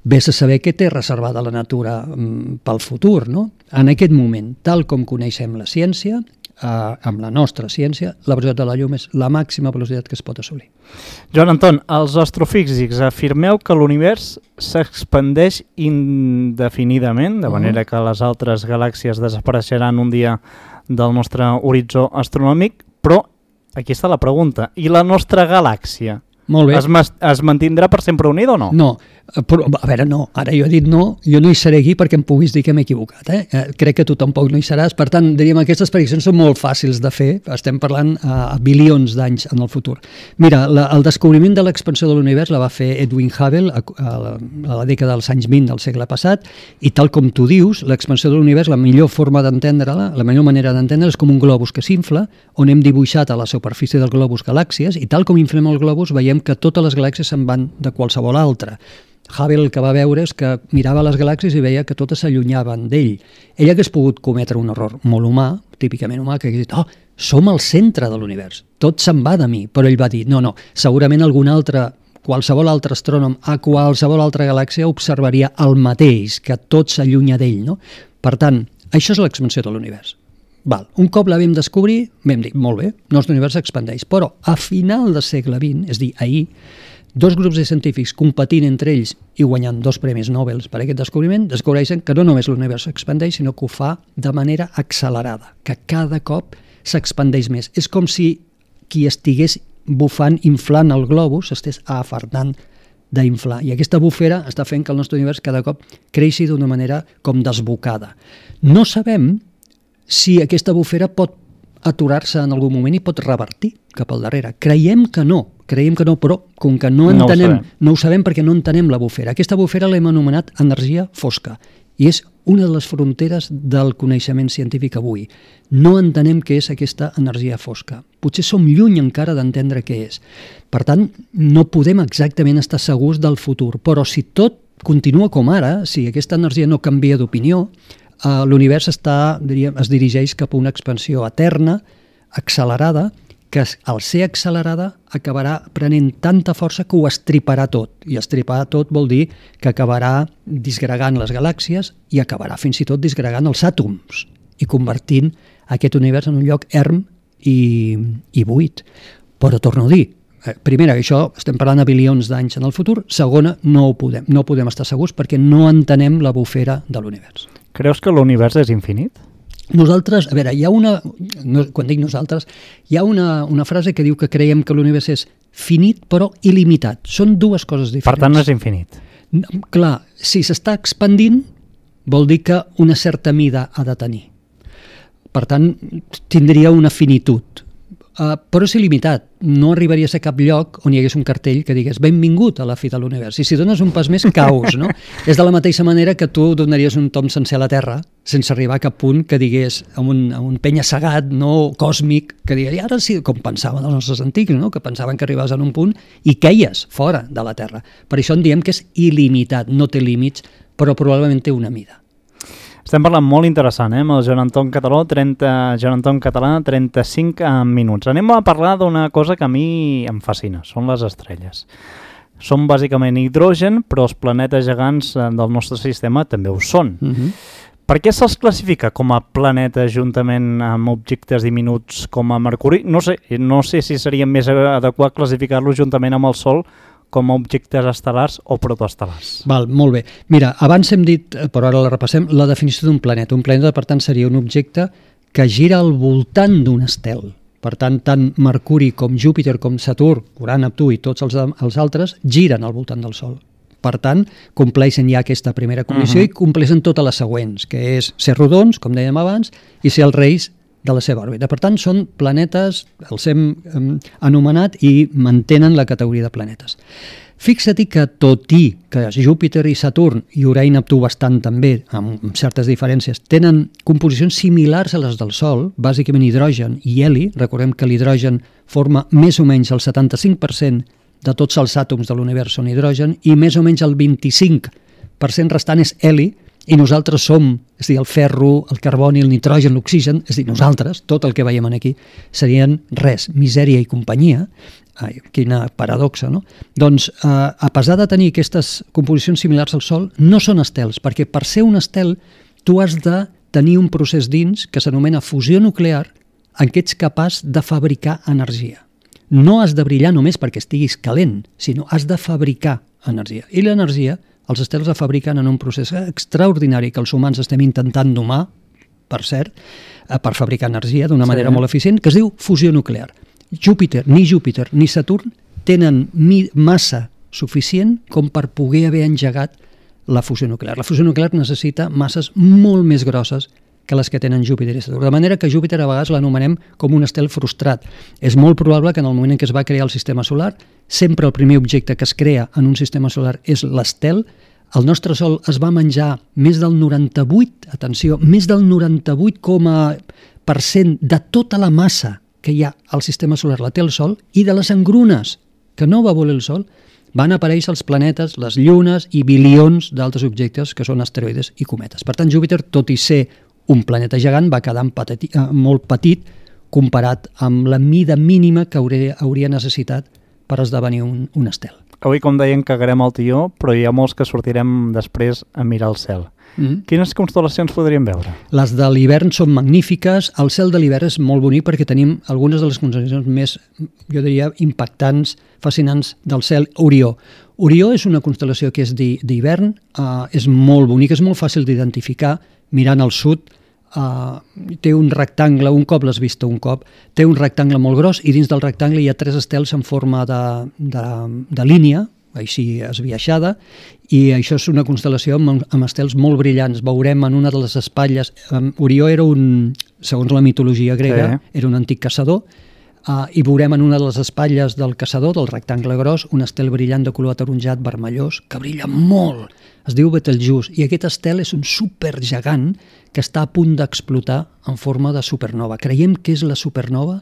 vés a saber què té reservada la natura mm, pel futur, no? En aquest moment, tal com coneixem la ciència, eh, amb la nostra ciència, la velocitat de la llum és la màxima velocitat que es pot assolir. Joan Anton, els astrofísics afirmeu que l'univers s'expandeix indefinidament, de manera uh-huh. que les altres galàxies desapareixeran un dia del nostre horitzó astronòmic, però aquí està la pregunta, i la nostra galàxia? Molt bé. Es, es mantindrà per sempre unida o no? No, però, a veure, no. Ara jo he dit no, jo no hi seré aquí perquè em puguis dir que m'he equivocat. Eh? Eh, crec que tu tampoc no hi seràs. Per tant, diríem, aquestes prediccions són molt fàcils de fer. Estem parlant a, a bilions d'anys en el futur. Mira, la, el descobriment de l'expansió de l'univers la va fer Edwin Hubble a, a, la, a la dècada dels anys vint del segle passat, i tal com tu dius, l'expansió de l'univers, la millor forma d'entendre-la, la millor manera d'entendre és com un globus que s'infla, on hem dibuixat a la superfície del globus galàxies, i tal com inflem el globus veiem que totes les galàxies se'n van de qualsevol altra. Hubble el que va veure és que mirava les galàxies i veia que totes s'allunyaven d'ell. Ell hagués pogut cometre un error molt humà, típicament humà, que hagués dit, oh, som al centre de l'univers, tot se'n va de mi. Però ell va dir, no, no, segurament algun altre, qualsevol altre astrònom a qualsevol altra galàxia observaria el mateix, que tot s'allunya d'ell, no? Per tant, això és l'expansió de l'univers. Val. Un cop la vam descobrir, vam dir, molt bé, el nostre univers s'expandeix, però a final del segle vint, és a dir, ahir, dos grups de científics competint entre ells i guanyant dos premis Nobel per aquest descobriment, descobreixen que no només l'univers s'expandeix, sinó que ho fa de manera accelerada, que cada cop s'expandeix més. És com si qui estigués bufant, inflant el globus, s'estés afardant d'inflar. I aquesta bufera està fent que el nostre univers cada cop creixi d'una manera com desbocada. No sabem si aquesta bufera pot aturar-se en algun moment i pot revertir cap al darrere. Creiem que no, creiem que no, però com que no entenem, no ho sabem, no ho sabem perquè no entenem la bufera. Aquesta bufera l'hem anomenat energia fosca i és una de les fronteres del coneixement científic avui. No entenem què és aquesta energia fosca. Potser som lluny encara d'entendre què és. Per tant, no podem exactament estar segurs del futur, però si tot continua com ara, si aquesta energia no canvia d'opinió, Uh, l'univers està, diríem, es dirigeix cap a una expansió eterna, accelerada, que al ser accelerada acabarà prenent tanta força que ho estriparà tot. I estripar tot vol dir que acabarà disgregant les galàxies i acabarà fins i tot disgregant els àtoms i convertint aquest univers en un lloc erm i, i buit. Però torno a dir, primera, això estem parlant de bilions d'anys en el futur. Segona, no ho podem, no podem estar segurs perquè no entenem la bufera de l'univers. Creus que l'univers és infinit? Nosaltres, a veure, hi ha una, no, quan dic nosaltres, hi ha una, una frase que diu que creiem que l'univers és finit però il·limitat. Són dues coses diferents. Per tant, no és infinit. Clar, si s'està expandint, vol dir que una certa mida ha de tenir. Per tant, tindria una finitud. Uh, però és il·limitat. No arribaries a cap lloc on hi hagués un cartell que digués benvingut a la fi de l'univers. I si dones un pas més, caus, no? És de la mateixa manera que tu donaries un tom sencer a la Terra sense arribar a cap punt que digués a un, a un penya-segat no còsmic que digués, i ara sí, com pensaven els nostres antics, no? Que pensaven que arribaves a un punt i queies fora de la Terra. Per això en diem que és il·limitat, no té límits, però probablement té una mida. Estem parlant molt interessant, eh, amb el Joan Anton Català, trenta, Joan Anton Català, trenta-cinc minuts. Anem a parlar d'una cosa que a mi em fascina, són les estrelles. Són bàsicament hidrogen, però els planetes gegants del nostre sistema també ho són. Uh-huh. Per què se'ls classifica com a planetes juntament amb objectes diminuts com a Mercuri? No sé, no sé si seria més adequat classificar-los juntament amb el Sol com a objectes estel·lars o protoestel·lars. Val, molt bé. Mira, abans hem dit, però ara la repassem, la definició d'un planeta. Un planeta, per tant, seria un objecte que gira al voltant d'un estel. Per tant, tant Mercuri com Júpiter com Saturn, Urà, Neptú i tots els, els altres giren al voltant del Sol. Per tant, compleixen ja aquesta primera condició uh-huh. i compleixen totes les següents, que és ser rodons, com dèiem abans, i ser els reis de la seva òrbita. Per tant, són planetes, els hem eh, anomenat i mantenen la categoria de planetes. Fixa't que tot i que Júpiter i Saturn i Urà i Neptú bastant també, amb certes diferències, tenen composicions similars a les del Sol, bàsicament hidrogen i heli, recordem que l'hidrogen forma més o menys el setanta-cinc per cent de tots els àtoms de l'univers són hidrogen i més o menys el vint-i-cinc per cent restant és heli i nosaltres som, és a dir, el ferro, el carboni, el nitrogen, l'oxigen, és a dir, nosaltres, tot el que veiem aquí, serien res, misèria i companyia. Ai, quina paradoxa, no? Doncs, eh, a pesar de tenir aquestes composicions similars al Sol, no són estels, perquè per ser un estel tu has de tenir un procés dins que s'anomena fusió nuclear en què ets capaç de fabricar energia. No has de brillar només perquè estiguis calent, sinó has de fabricar energia. I l'energia, els estels la fabriquen en un procés extraordinari que els humans estem intentant domar, per cert, per fabricar energia d'una manera sí. molt eficient, que es diu fusió nuclear. Júpiter, ni Júpiter ni Saturn tenen massa suficient com per poder haver engegat la fusió nuclear. La fusió nuclear necessita masses molt més grosses que les que tenen Júpiter i Saturn. De manera que Júpiter a vegades l'anomenem com un estel frustrat. És molt probable que en el moment en què es va crear el sistema solar, sempre el primer objecte que es crea en un sistema solar és l'estel. El nostre Sol es va menjar més del noranta-vuit, atenció, més del noranta-vuit per cent de tota la massa que hi ha al sistema solar la té el Sol, i de les engrunes que no va voler el Sol van aparèixer els planetes, les llunes i bilions d'altres objectes que són asteroides i cometes. Per tant, Júpiter, tot i ser un planeta gegant, va quedar petit, eh, molt petit comparat amb la mida mínima que hauria, hauria necessitat per esdevenir un, un estel. Avui, com deien, cagarem el tió, però hi ha molts que sortirem després a mirar el cel. Mm-hmm. Quines constel·lacions podríem veure? Les de l'hivern són magnífiques. El cel de l'hivern és molt bonic perquè tenim algunes de les constel·lacions més, jo diria, impactants, fascinants del cel. Orió. Orió és una constel·lació que és d'hivern, eh, és molt bonic, és molt fàcil d'identificar. Mirant al sud, uh, té un rectangle, un cop l'has vist un cop, té un rectangle molt gros i dins del rectangle hi ha tres estels en forma de, de, de línia, així esbiaixada, i això és una constel·lació amb, amb estels molt brillants. Veurem en una de les espatlles, um, Orió era un, segons la mitologia grega, sí. era un antic caçador, uh, i veurem en una de les espatlles del caçador, del rectangle gros, un estel brillant de color ataronjat vermellós, que brilla molt. Es diu Betelgeuse, i aquest estel és un supergegant que està a punt d'explotar en forma de supernova. Creiem que és la supernova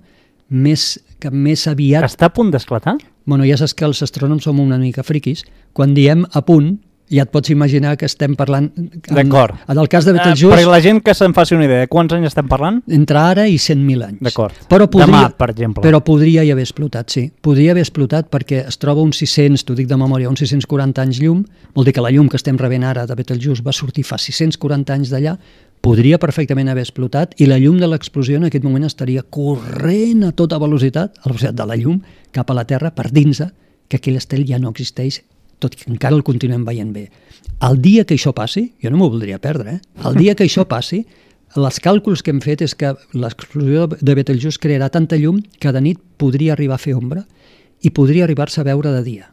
més, que més aviat... Està a punt d'esclatar? Bueno, ja saps que els astrònoms som una mica friquis. Quan diem a punt, ja et pots imaginar que estem parlant... D'acord. En el cas de Betelgeuse... Uh, per la gent que se'n faci una idea, quants anys estem parlant? Entre ara i cent mil anys. D'acord. Demà, per exemple. Però podria hi haver explotat, sí. Podria haver explotat perquè es troba uns sis-cents, t'ho dic de memòria, uns sis-cents quaranta anys llum. Vol dir que la llum que estem rebent ara de Betelgeuse va sortir fa sis-cents quaranta anys d'allà. Podria perfectament haver explotat i la llum de l'explosió en aquest moment estaria corrent a tota velocitat, a la velocitat de la llum, cap a la Terra per dins que aquell estel ja no existeix, tot i que encara el continuem veient bé. El dia que això passi, jo no m'ho voldria perdre, eh? el dia que això passi, els càlculs que hem fet és que l'explosió de Betelgeuse crearà tanta llum que de nit podria arribar a fer ombra i podria arribar-se a veure de dia.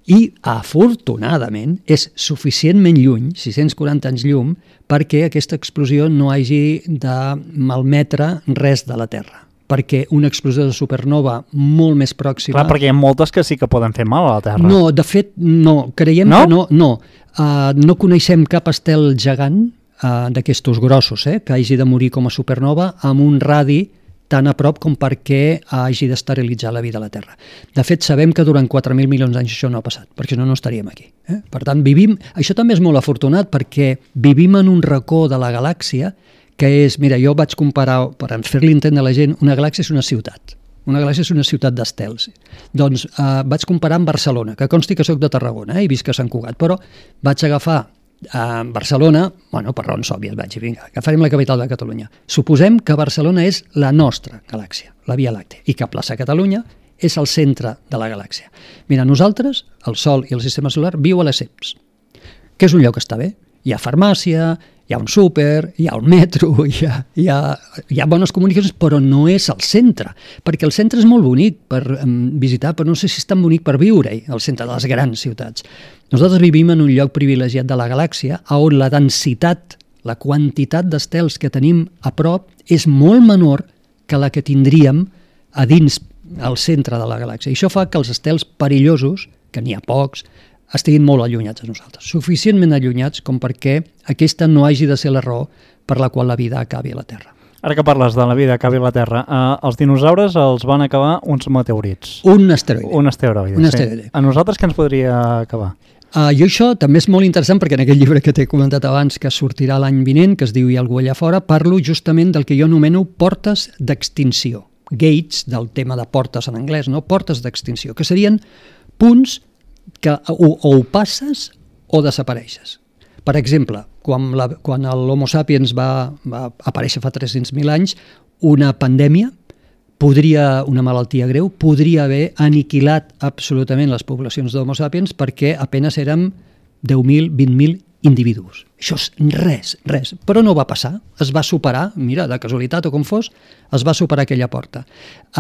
I, afortunadament, és suficientment lluny, sis-cents quaranta anys llum, perquè aquesta explosió no hagi de malmetre res de la Terra. Perquè una explosió de supernova molt més pròxima... Clar, perquè hi ha moltes que sí que poden fer mal a la Terra. No, de fet, no. Creiem no? que no. No, uh, no coneixem cap estel gegant uh, d'aquestos grossos, eh, que hagi de morir com a supernova amb un radi tan a prop com perquè hagi d'esterilitzar la vida a la Terra. De fet, sabem que durant quatre mil milions d'anys això no ha passat, perquè si no, no estaríem aquí. Eh? Per tant, vivim... Això també és molt afortunat perquè vivim en un racó de la galàxia que és, mira, jo vaig comparar, per fer-li entendre a la gent, una galàxia és una ciutat. Una galàxia és una ciutat d'estels. Doncs eh, vaig comparar amb Barcelona, que consti que soc de Tarragona eh, i visc a Sant Cugat, però vaig agafar a Barcelona, bueno, per raons òbvies, vaig dir, vinga, agafarem la capital de Catalunya. Suposem que Barcelona és la nostra galàxia, la Via Làctea, i que Plaça Catalunya és el centre de la galàxia. Mira, nosaltres, el Sol i el sistema solar, viu a Lesseps, que és un lloc que està bé. Hi ha farmàcia, hi ha un súper, hi ha un metro, hi ha, hi ha, hi ha bones comunicacions, però no és el centre, perquè el centre és molt bonic per um, visitar, però no sé si és tan bonic per viure-hi, el centre de les grans ciutats. Nosaltres vivim en un lloc privilegiat de la galàxia on la densitat, la quantitat d'estels que tenim a prop és molt menor que la que tindríem a dins al centre de la galàxia. I això fa que els estels perillosos, que n'hi ha pocs, estiguin molt allunyats de nosaltres, suficientment allunyats com perquè aquesta no hagi de ser la raó per la qual la vida acabi a la Terra. Ara que parles de la vida que acabi a la Terra, eh, els dinosaures els van acabar uns meteorits. Un asteroide. Un asteroide, un sí. asteroide. A nosaltres què ens podria acabar? Uh, jo això també és molt interessant perquè en aquest llibre que t'he comentat abans, que sortirà l'any vinent, que es diu Hi ha algú allà fora, parlo justament del que jo anomeno portes d'extinció. Gates, del tema de portes en anglès, no? Portes d'extinció, que serien punts que o, o ho passes o desapareixes. Per exemple, quan, la, quan l'Homo sapiens va, va aparèixer fa tres-cents mil anys, una pandèmia, podria, una malaltia greu, podria haver aniquilat absolutament les poblacions d'Homo sapiens perquè apenas érem deu mil, vint mil individus. Això és res, res. Però no va passar, es va superar, mira, de casualitat o com fos, es va superar aquella porta.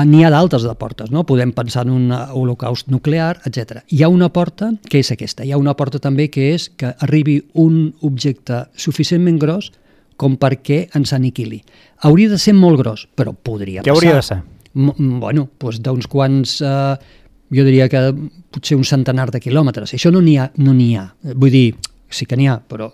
N'hi ha d'altres de portes, no? Podem pensar en un holocaust nuclear, etcètera. Hi ha una porta que és aquesta, hi ha una porta també que és que arribi un objecte suficientment gros com perquè ens aniquili. Hauria de ser molt gros, però podria passar. Què hauria de ser? M bueno, doncs d'uns quants... Eh, jo diria que potser un centenar de quilòmetres. Això no n'hi ha, no n'hi ha. Vull dir, sí que n'hi ha, però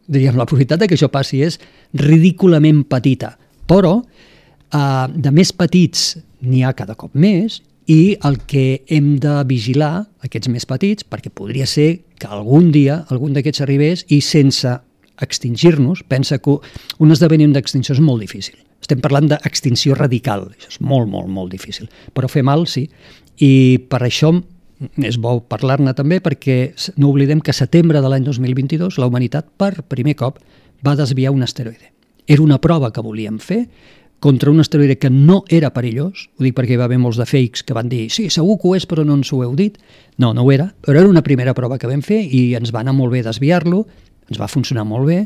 diríem, la probabilitat que això passi és ridículament petita. Però eh, de més petits n'hi ha cada cop més i el que hem de vigilar, aquests més petits, perquè podria ser que algun dia algun d'aquests arribés i sense extingir-nos, pensa que un esdeveniment d'extinció és molt difícil. Estem parlant d'extinció radical, això és molt, molt, molt difícil. Però fer mal, sí. I per això és bo parlar-ne també perquè no oblidem que a setembre de l'any dos mil vint-i-dos la humanitat per primer cop va desviar un asteroide. Era una prova que volíem fer contra un asteroide que no era perillós, ho dic perquè hi va haver molts de fakes que van dir sí, segur que ho és però no ens ho heu dit. No, no ho era, però era una primera prova que vam fer i ens va anar molt bé desviar-lo, ens va funcionar molt bé.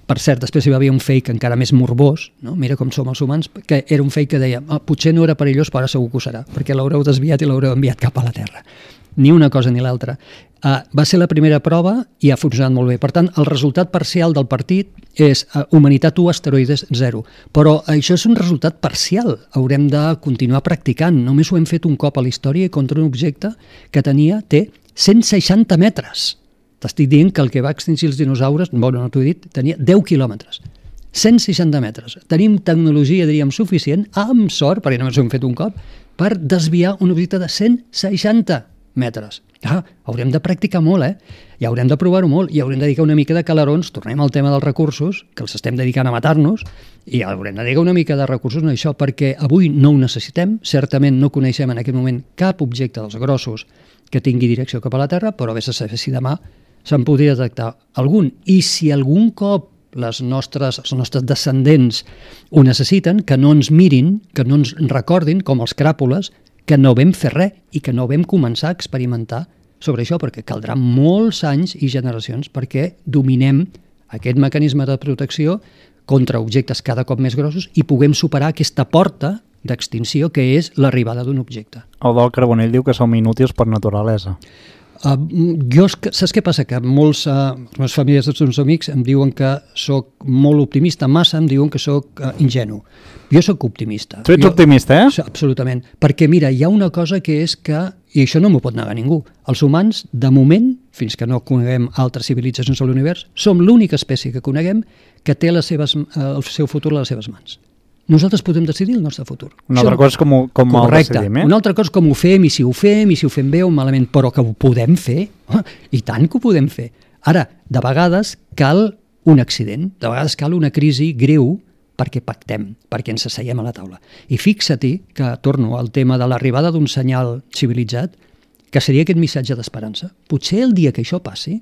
Per cert, després hi va haver un fake encara més morbós, no? Mira com som els humans, que era un fake que deia ah, potser no era perillós, però ara segur que ho serà, perquè l'haureu desviat i l'haureu enviat cap a la Terra. Ni una cosa ni l'altra. Uh, va ser la primera prova i ha funcionat molt bé. Per tant, el resultat parcial del partit és uh, humanitat u, asteroides zero. Però això és un resultat parcial. Haurem de continuar practicant. Només ho hem fet un cop a la història i contra un objecte que tenia, té cent seixanta metres. T'estic dient que el que va extingir els dinosaures, bueno, no t'ho he dit, tenia deu quilòmetres. cent seixanta metres. Tenim tecnologia, diríem, suficient, amb sort, perquè només ho hem fet un cop, per desviar un objecte de cent seixanta metres. Ah, haurem de practicar molt, eh? I haurem de provar-ho molt, i haurem de dedicar una mica de calarons, tornem al tema dels recursos, que els estem dedicant a matar-nos, i haurem de dedicar una mica de recursos a això, perquè avui no ho necessitem, certament no coneixem en aquest moment cap objecte dels grossos que tingui direcció cap a la Terra, però vés a saber si demà se'n podria detectar algun. I si algun cop les nostres, els nostres descendents ho necessiten, que no ens mirin, que no ens recordin, com els cràpules, que no vam fer res i que no vam començar a experimentar sobre això, perquè caldrà molts anys i generacions perquè dominem aquest mecanisme de protecció contra objectes cada cop més grossos i puguem superar aquesta porta d'extinció que és l'arribada d'un objecte. Eudald Carbonell diu que som inútils per naturalesa. Uh, jo, saps què passa? Que molts, uh, les meves famílies, els meus amics, em diuen que sóc molt optimista, massa em diuen que sóc uh, ingenu. Jo sóc optimista. Tu ets jo, optimista, eh? Absolutament. Perquè, mira, hi ha una cosa que és que, i això no m'ho pot negar ningú, els humans, de moment, fins que no coneguem altres civilitzacions a l'univers, som l'única espècie que coneguem que té les seves, uh, el seu futur a les seves mans. Nosaltres podem decidir el nostre futur. Una altra cosa és com, com el decidim, eh? Una altra cosa és com ho fem, i si ho fem, i si ho fem bé o malament, però que ho podem fer, oh, i tant que ho podem fer. Ara, de vegades cal un accident, de vegades cal una crisi greu perquè pactem, perquè ens asseiem a la taula. I fixa-t'hi que, torno al tema de l'arribada d'un senyal civilitzat, que seria aquest missatge d'esperança. Potser el dia que això passi,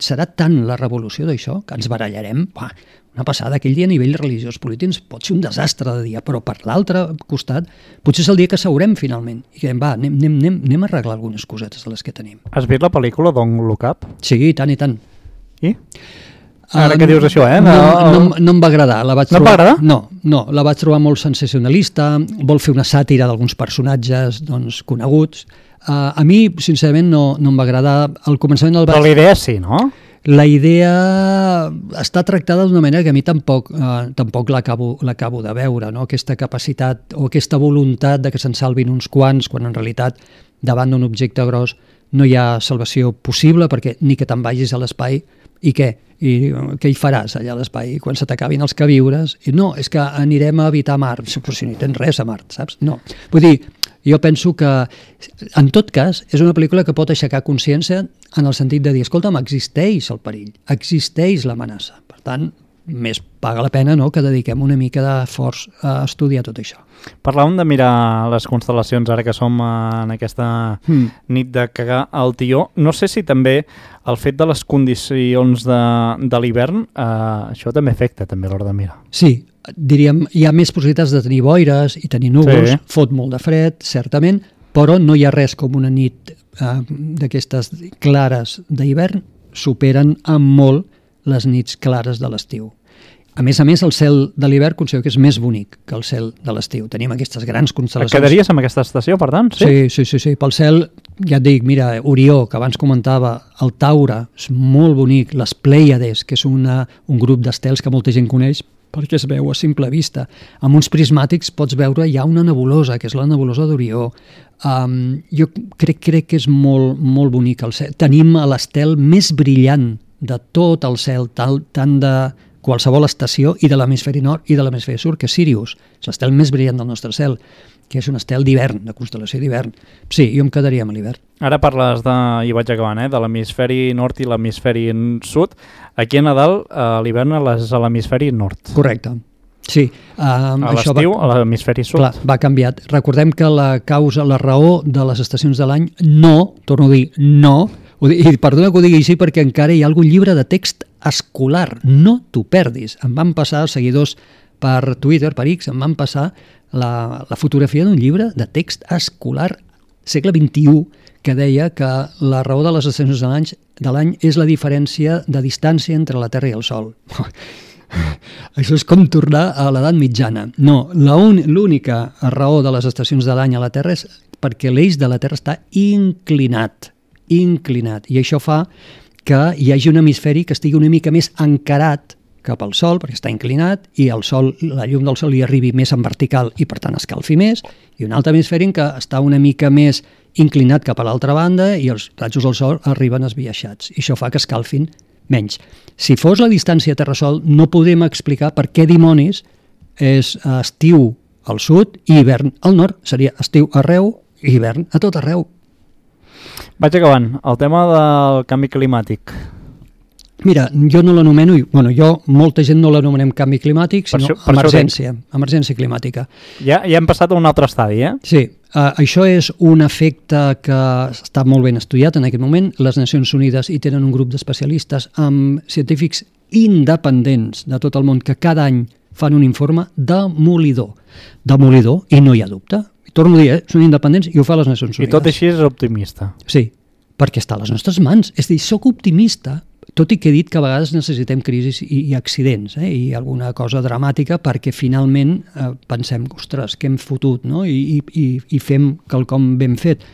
serà tant la revolució d'això que ens barallarem, uah, una passada, aquell dia a nivell religiós polític pot ser un desastre de dia, però per l'altre costat potser és el dia que seurem finalment i que va, anem, anem, anem, anem a arreglar algunes cosetes de les que tenim. Has vist la pel·lícula Don't Look Up? Sí, i tant i tant. I? Ara uh, que dius això, eh? No, no, no, no em va agradar. La vaig no trobar, em va agradar? No, no, la vaig trobar molt sensacionalista, vol fer una sàtira d'alguns personatges doncs, coneguts. Uh, a mi, sincerament, no, no em va agradar. Al començament el vaig... Però la idea sí, no? La idea està tractada d'una manera que a mi tampoc, eh, tampoc l'acabo l'acabo de veure, no? Aquesta capacitat o aquesta voluntat de que se'n salvin uns quants, quan en realitat davant d'un objecte gros no hi ha salvació possible, perquè ni que te'n vagis a l'espai i què? I què hi faràs allà a l'espai quan se t'acabin els queviures? I no, és que anirem a habitar Mart, però si no hi tens res a Mart, saps? No. Vull dir, jo penso que, en tot cas, és una pel·lícula que pot aixecar consciència en el sentit de dir, escolta'm, existeix el perill, existeix l'amenaça. Per tant, més paga la pena, no?, que dediquem una mica d'esforç a estudiar tot això. Parlàvem de mirar les constel·lacions ara que som en aquesta mm. nit de cagar al tió. No sé si també el fet de les condicions de, de l'hivern, eh, això també afecta també a l'hora de mirar. Sí, diríem, hi ha més possibilitats de tenir boires i tenir núvols, sí. Fot molt de fred, certament, però no hi ha res com una nit eh, d'aquestes clares d'hivern, superen amb molt les nits clares de l'estiu. A més a més, el cel de l'hivern considero que és més bonic que el cel de l'estiu. Tenim aquestes grans constel·lacions. Et quedaries amb aquesta estació, per tant? Sí, sí, sí, sí. Pel cel, ja et dic, mira, Orió, que abans comentava, el Taure, és molt bonic, les Plèiades, que és una, un grup d'estels que molta gent coneix, perquè es veu a simple vista. Amb uns prismàtics pots veure ja una nebulosa, que és la nebulosa d'Orió. Um, jo crec, crec que és molt, molt bonic el cel. Tenim l'estel més brillant de tot el cel, tal, tant de qualsevol estació, i de l'hemisferi nord i de l'hemisferi sud, que és Sirius, és l'estel més brillant del nostre cel, que és un estel d'hivern, de constel·lació d'hivern. Sí, jo em quedaria amb l'hivern. Ara parles de, i vaig acabant, eh, de l'hemisferi nord i l'hemisferi sud. Aquí a Nadal, a l'hivern és a l'hemisferi nord. Correcte. Sí. Um, a l'estiu, a l'hemisferi sud. Clar, va canviat. Recordem que la causa, la raó de les estacions de l'any, no, torno a dir, no, i perdona que ho digui així perquè encara hi ha algun llibre de text escolar, no t'ho perdis. Em van passar els seguidors per Twitter, per X, em van passar la, la fotografia d'un llibre de text escolar segle vint-i-u que deia que la raó de les estacions de l'any és la diferència de distància entre la Terra i el Sol. Això és com tornar a l'edat mitjana. No, l'única raó de les estacions de l'any a la Terra és perquè l'eix de la Terra està inclinat, inclinat, i això fa que hi hagi un hemisferi que estigui una mica més encarat cap al Sol, perquè està inclinat, i el Sol, la llum del Sol li arribi més en vertical i per tant escalfi més, i un altre hemisferi que està una mica més inclinat cap a l'altra banda i els rajos del Sol arriben esbiaixats, i això fa que escalfin menys. Si fos la distància Terra-Sol, no podem explicar per què dimonis és estiu al sud i hivern al nord. Seria estiu arreu i hivern a tot arreu. Vaig acabant. El tema del canvi climàtic. Mira, jo no l'anomeno, bueno, jo, molta gent no l'anomenem canvi climàtic, sinó per això, per emergència, emergència climàtica. Ja, ja hem passat a un altre estadi, eh? Sí, uh, això és un efecte que està molt ben estudiat en aquest moment. Les Nacions Unides hi tenen un grup d'especialistes amb científics independents de tot el món que cada any fan un informe demolidor. Demolidor, i no hi ha dubte. Torno a dir, eh? Són independents i ho fa les Nacions Unides. I tot així és optimista. Sí, perquè està a les nostres mans. És a dir, soc optimista, tot i que he dit que a vegades necessitem crisis i, i accidents, eh? I alguna cosa dramàtica perquè finalment eh, pensem, ostres, què hem fotut, no? I, i, i fem quelcom ben fet.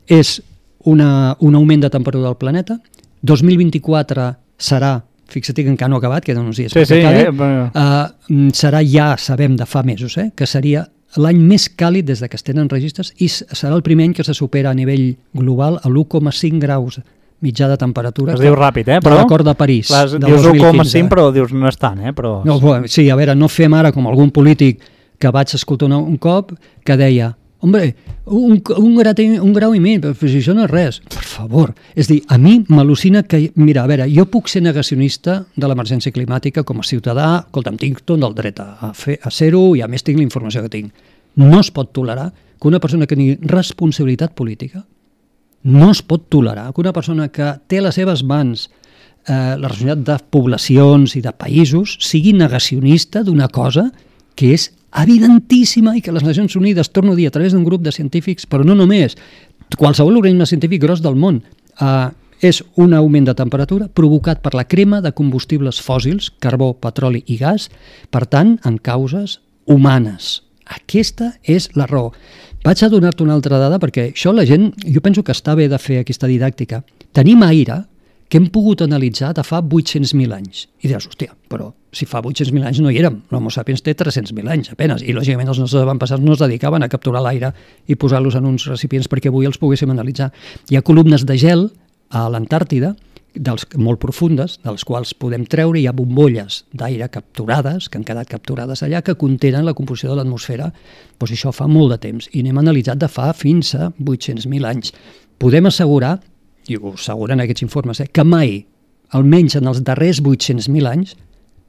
És una, un augment de temperatura del planeta. dos mil vint-i-quatre serà, fixa't que encara no ha acabat, queden uns dies sí, per sí, acabi, eh, però... uh, serà, ja sabem de fa mesos, eh? Que seria l'any més càlid des de que es tenen registres i serà el primer any que se supera a nivell global a l'u coma cinc graus mitjà de temperatura. Es diu ràpid, eh? Però l'acord de París. Les, del dius dos mil quinze. u coma cinc, però dius no és tant, eh? Però... No, sí, a veure, no fem ara com algun polític que vaig escoltar un, un cop que deia, hombre, un, un, grau, un grau i mig, però si això no és res. Per favor. És dir, a mi m'al·lucina que... Mira, a veure, jo puc ser negacionista de l'emergència climàtica com a ciutadà, escolta'm, tinc tot el dret a, fer, a ser-ho i a més tinc la informació que tinc. No es pot tolerar que una persona que tingui responsabilitat política, no es pot tolerar que una persona que té a les seves mans eh, la responsabilitat de poblacions i de països sigui negacionista d'una cosa que és evidentíssima i que les Nacions Unides, torno a dir, a través d'un grup de científics, però no només, qualsevol organisme científic gros del món, eh, és un augment de temperatura provocat per la crema de combustibles fòssils, carbó, petroli i gas, per tant, en causes humanes. Aquesta és la raó. Vaig a donar-te una altra dada perquè això la gent, jo penso que està bé de fer aquesta didàctica. Tenim aire que hem pogut analitzar de fa vuit-cents mil anys. I diràs, hòstia, però si fa vuit-cents mil anys no hi érem. L'Homo sapiens té tres-cents mil anys, apenes. I, lògicament, els nostres avantpassats no es dedicaven a capturar l'aire i posar-los en uns recipients perquè avui els poguéssim analitzar. Hi ha columnes de gel a l'Antàrtida, dels, molt profundes, dels quals podem treure, hi ha bombolles d'aire capturades, que han quedat capturades allà, que contenen la composició de l'atmosfera. Doncs això fa molt de temps, i n'hem analitzat de fa fins a vuit-cents mil anys. Podem assegurar, i ho asseguren aquests informes, eh, que mai, almenys en els darrers vuit-cents mil anys,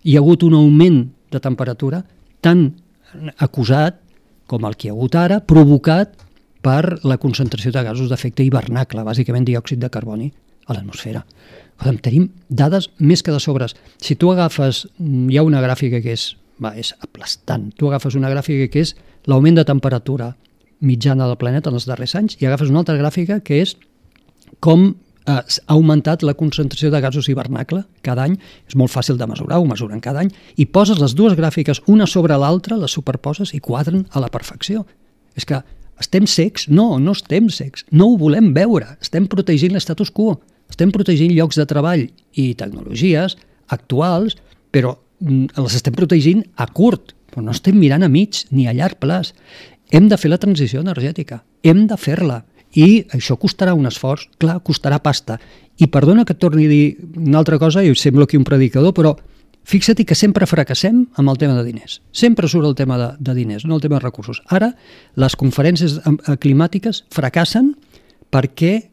hi ha hagut un augment de temperatura tan acusat com el que hi ha hagut ara, provocat per la concentració de gasos d'efecte hivernacle, bàsicament diòxid de carboni, a l'atmosfera. Tenim dades més que de sobres. Si tu agafes, hi ha una gràfica que és, va, és aplastant, tu agafes una gràfica que és l'augment de temperatura mitjana del planeta en els darrers anys i agafes una altra gràfica que és com ha augmentat la concentració de gasos hivernacle cada any. És molt fàcil de mesurar, ho mesuren cada any, i poses les dues gràfiques una sobre l'altra, les superposes i quadren a la perfecció. És que estem cecs? No, no estem cecs. No ho volem veure. Estem protegint l'estatus quo. Estem protegint llocs de treball i tecnologies actuals, però les estem protegint a curt, però no estem mirant a mig ni a llarg plaç. Hem de fer la transició energètica. Hem de fer-la. I això costarà un esforç, clar, costarà pasta. I perdona que et torni a dir una altra cosa, i semblo aquí un predicador, però fixa't que sempre fracassem amb el tema de diners. Sempre surt el tema de, de diners, no el tema de recursos. Ara, les conferències climàtiques fracassen perquè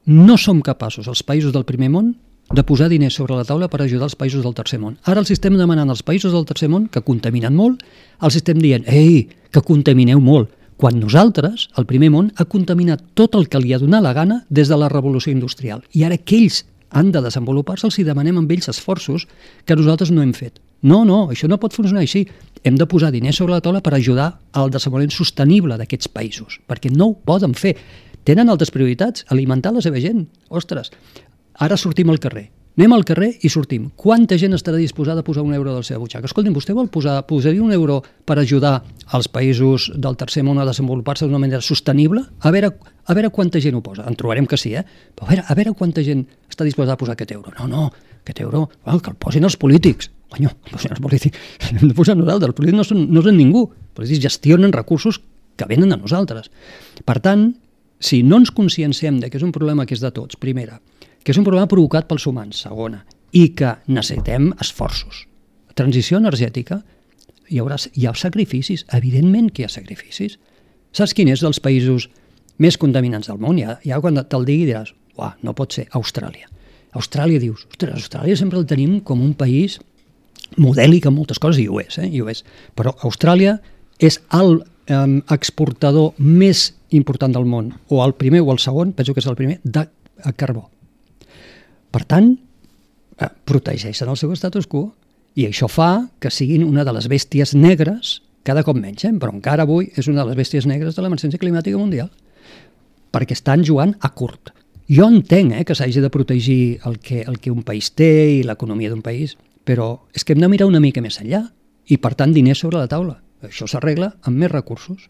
no som capaços, els països del primer món, de posar diners sobre la taula per ajudar els països del tercer món. Ara els estem demanant als països del tercer món, que contaminen molt, els estem dient, ei, que contamineu molt, quan nosaltres, el primer món, ha contaminat tot el que li ha donat la gana des de la revolució industrial. I ara que ells han de desenvolupar-se, els hi demanem amb ells esforços que nosaltres no hem fet. No, no, això no pot funcionar així. Hem de posar diners sobre la taula per ajudar al desenvolupament sostenible d'aquests països, perquè no ho poden fer. Tenen altres prioritats, alimentar la seva gent. Ostres, ara sortim al carrer. Anem al carrer i sortim. Quanta gent estarà disposada a posar un euro de la seva butxaca? Escolti'm, vostè vol posar, posaria un euro per ajudar els països del tercer món a desenvolupar-se d'una manera sostenible? A veure, a veure quanta gent ho posa. En trobarem que sí, eh? Però a veure, a veure quanta gent està disposada a posar aquest euro. No, no, aquest euro, well, que el posin els polítics. Conyo, el posin els polítics. Hem de posar nosaltres. Els polítics no són, no són ningú. Els polítics gestionen recursos que venen a nosaltres. Per tant, si no ens conscienciem de que és un problema que és de tots, primera, que és un problema provocat pels humans, segona, i que necessitem esforços. La transició energètica, hi haurà hi ha sacrificis, evidentment que hi ha sacrificis. Saps quin és dels països més contaminants del món? Ja, ja quan te'l digui diràs, uah, no pot ser, Austràlia. Austràlia dius, ostres, Austràlia sempre el tenim com un país modèlic en moltes coses, i ho és, eh? I ho és. Però Austràlia és el eh, exportador més important del món, o el primer o el segon, penso que és el primer, de carbó. Per tant, eh, protegeixen el seu status quo i això fa que siguin una de les bèsties negres, cada cop menys, eh? Però encara avui és una de les bèsties negres de l'emergència climàtica mundial, perquè estan jugant a curt. Jo entenc eh, que s'hagi de protegir el que, el que un país té i l'economia d'un país, però és que hem de mirar una mica més enllà i, per tant, diners sobre la taula. Això s'arregla amb més recursos.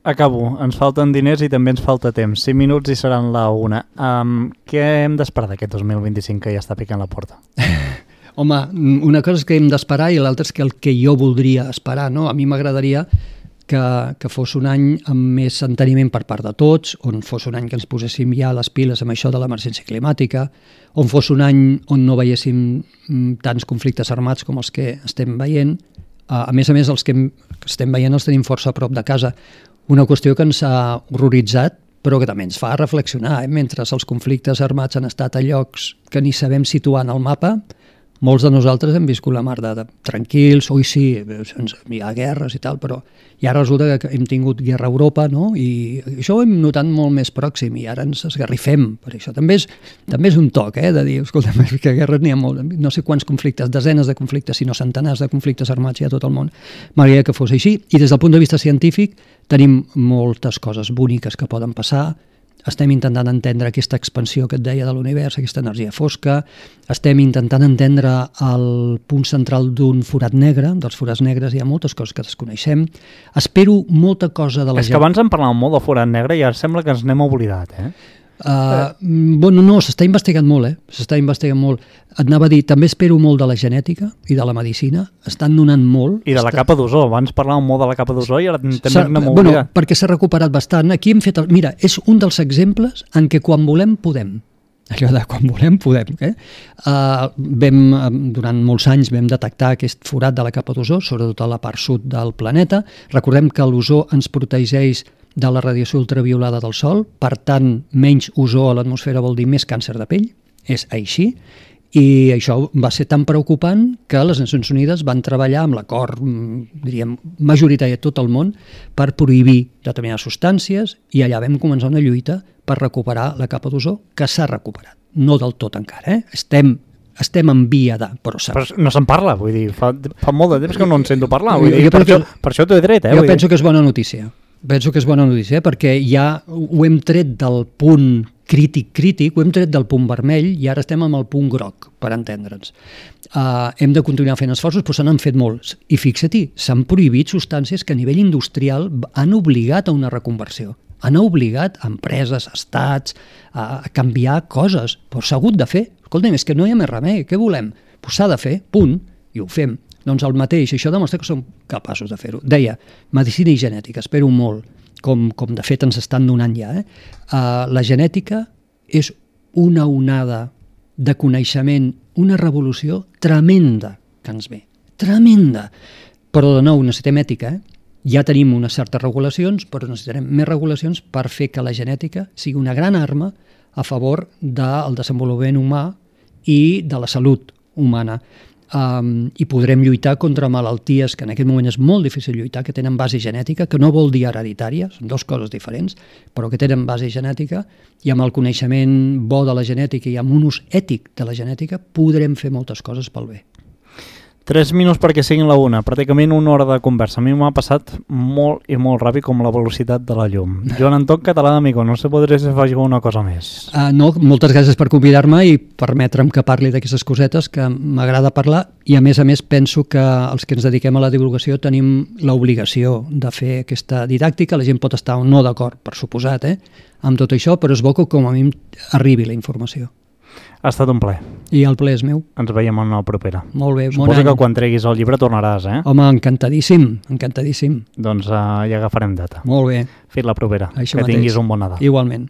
Acabo. Ens falten diners i també ens falta temps. cinc minuts i seran la una. Um, què hem d'esperar d'aquest dos mil vint-i-cinc que ja està picant la porta? Home, una cosa és que hem d'esperar i l'altra és que el que jo voldria esperar, no? A mi m'agradaria que, que fos un any amb més enteniment per part de tots, on fos un any que ens poséssim ja les piles amb això de l'emergència climàtica, on fos un any on no veiéssim tants conflictes armats com els que estem veient. A més a més, els que estem veient els tenim força a prop de casa. Una qüestió que ens ha horroritzat, però que també ens fa reflexionar. Eh? Mentre els conflictes armats han estat a llocs que ni sabem situar en el mapa, molts de nosaltres hem viscut la mar de, de tranquils, oi sí, sense, hi ha guerres i tal, però i ara resulta que hem tingut guerra a Europa, no? I això ho hem notat molt més pròxim i ara ens esgarrifem per això. També és, també és un toc, eh, de dir, escolta, que guerres n'hi ha molt, no sé quants conflictes, desenes de conflictes, sinó centenars de conflictes armats hi ha a tot el món. M'agradaria que fos així. I des del punt de vista científic tenim moltes coses boniques que poden passar. Estem intentant entendre aquesta expansió que et deia de l'univers, aquesta energia fosca, estem intentant entendre el punt central d'un forat negre, dels forats negres hi ha moltes coses que desconeixem. Espero molta cosa de la gent... És que abans en parlàvem molt del forat negre i ara sembla que ens n'hem oblidat, eh? Uh, bueno, no, s'està investigant molt, eh? S'està investigant molt. Et anava a dir, també espero molt de la genètica i de la medicina, estan donant molt. I de la està... capa d'ozó, abans parlàvem molt de la capa d'ozó i ara també n'hem bueno, oblidat. Perquè s'ha recuperat bastant. Aquí hem fet... El... Mira, és un dels exemples en què quan volem, podem. Allò de quan volem, podem. Eh? Uh, vam, durant molts anys vam detectar aquest forat de la capa d'ozó, sobretot a la part sud del planeta. Recordem que l'ozó ens protegeix de la radiació ultraviolada del Sol, per tant, menys ozó a l'atmosfera vol dir més càncer de pell, és així, i això va ser tan preocupant que les Nacions Unides van treballar amb l'acord, diríem, majoritari de tot el món per prohibir determinades substàncies i allà vam començar una lluita per recuperar la capa d'ozó, que s'ha recuperat. No del tot encara, eh? Estem estem en via de... Però, però no se'n parla, vull dir, fa, fa molt de temps que no en sento parlar, vull dir, jo per, penso, això, per això t'ho he dret, eh? Jo penso dir. que és bona notícia. Penso que és bona notícia, perquè ja ho hem tret del punt crític crític, ho hem tret del punt vermell i ara estem amb el punt groc, per entendre'ns. Uh, hem de continuar fent esforços, però se n'han fet molts. I fixa-t'hi, s'han prohibit substàncies que a nivell industrial han obligat a una reconversió. Han obligat empreses, estats, a canviar coses, però s'ha hagut de fer. Escolta'm, és que no hi ha més remei, què volem? Pues s'ha de fer, punt, i ho fem. Doncs el mateix, això demostra que som capaços de fer-ho. Deia, medicina i genètica, espero molt, com, com de fet ens estan donant ja. Eh? Uh, la genètica és una onada de coneixement, una revolució tremenda que ens ve. Tremenda! Però de nou, necessitem ètica, eh? Ja tenim unes certes regulacions, però necessitarem més regulacions per fer que la genètica sigui una gran arma a favor del desenvolupament humà i de la salut humana. Um, i podrem lluitar contra malalties que en aquest moment és molt difícil lluitar, que tenen base genètica, que no vol dir hereditària, són dues coses diferents, però que tenen base genètica, i amb el coneixement bo de la genètica i amb un ús ètic de la genètica podrem fer moltes coses pel bé. Tres minuts perquè siguin la una, pràcticament una hora de conversa. A mi m'ha passat molt i molt ràpid com la velocitat de la llum. Joan Anton Català d'Amigo, no sé podré si faig una cosa més. Uh, no, moltes gràcies per convidar-me i permetre'm que parli d'aquestes cosetes que m'agrada parlar, i a més a més penso que els que ens dediquem a la divulgació tenim l'obligació de fer aquesta didàctica. La gent pot estar o no d'acord, per suposat, eh, amb tot això, però és bo que com a mi arribi la informació. Ha estat un plaer. I el plaer és meu. Ens veiem en la propera. Molt bé, bon any. Suposo que quan treguis el llibre tornaràs, eh? Home, encantadíssim, encantadíssim. Doncs uh, ja agafarem data. Molt bé. Fins la propera. Això que mateix. Tinguis un bon Nadal. Igualment.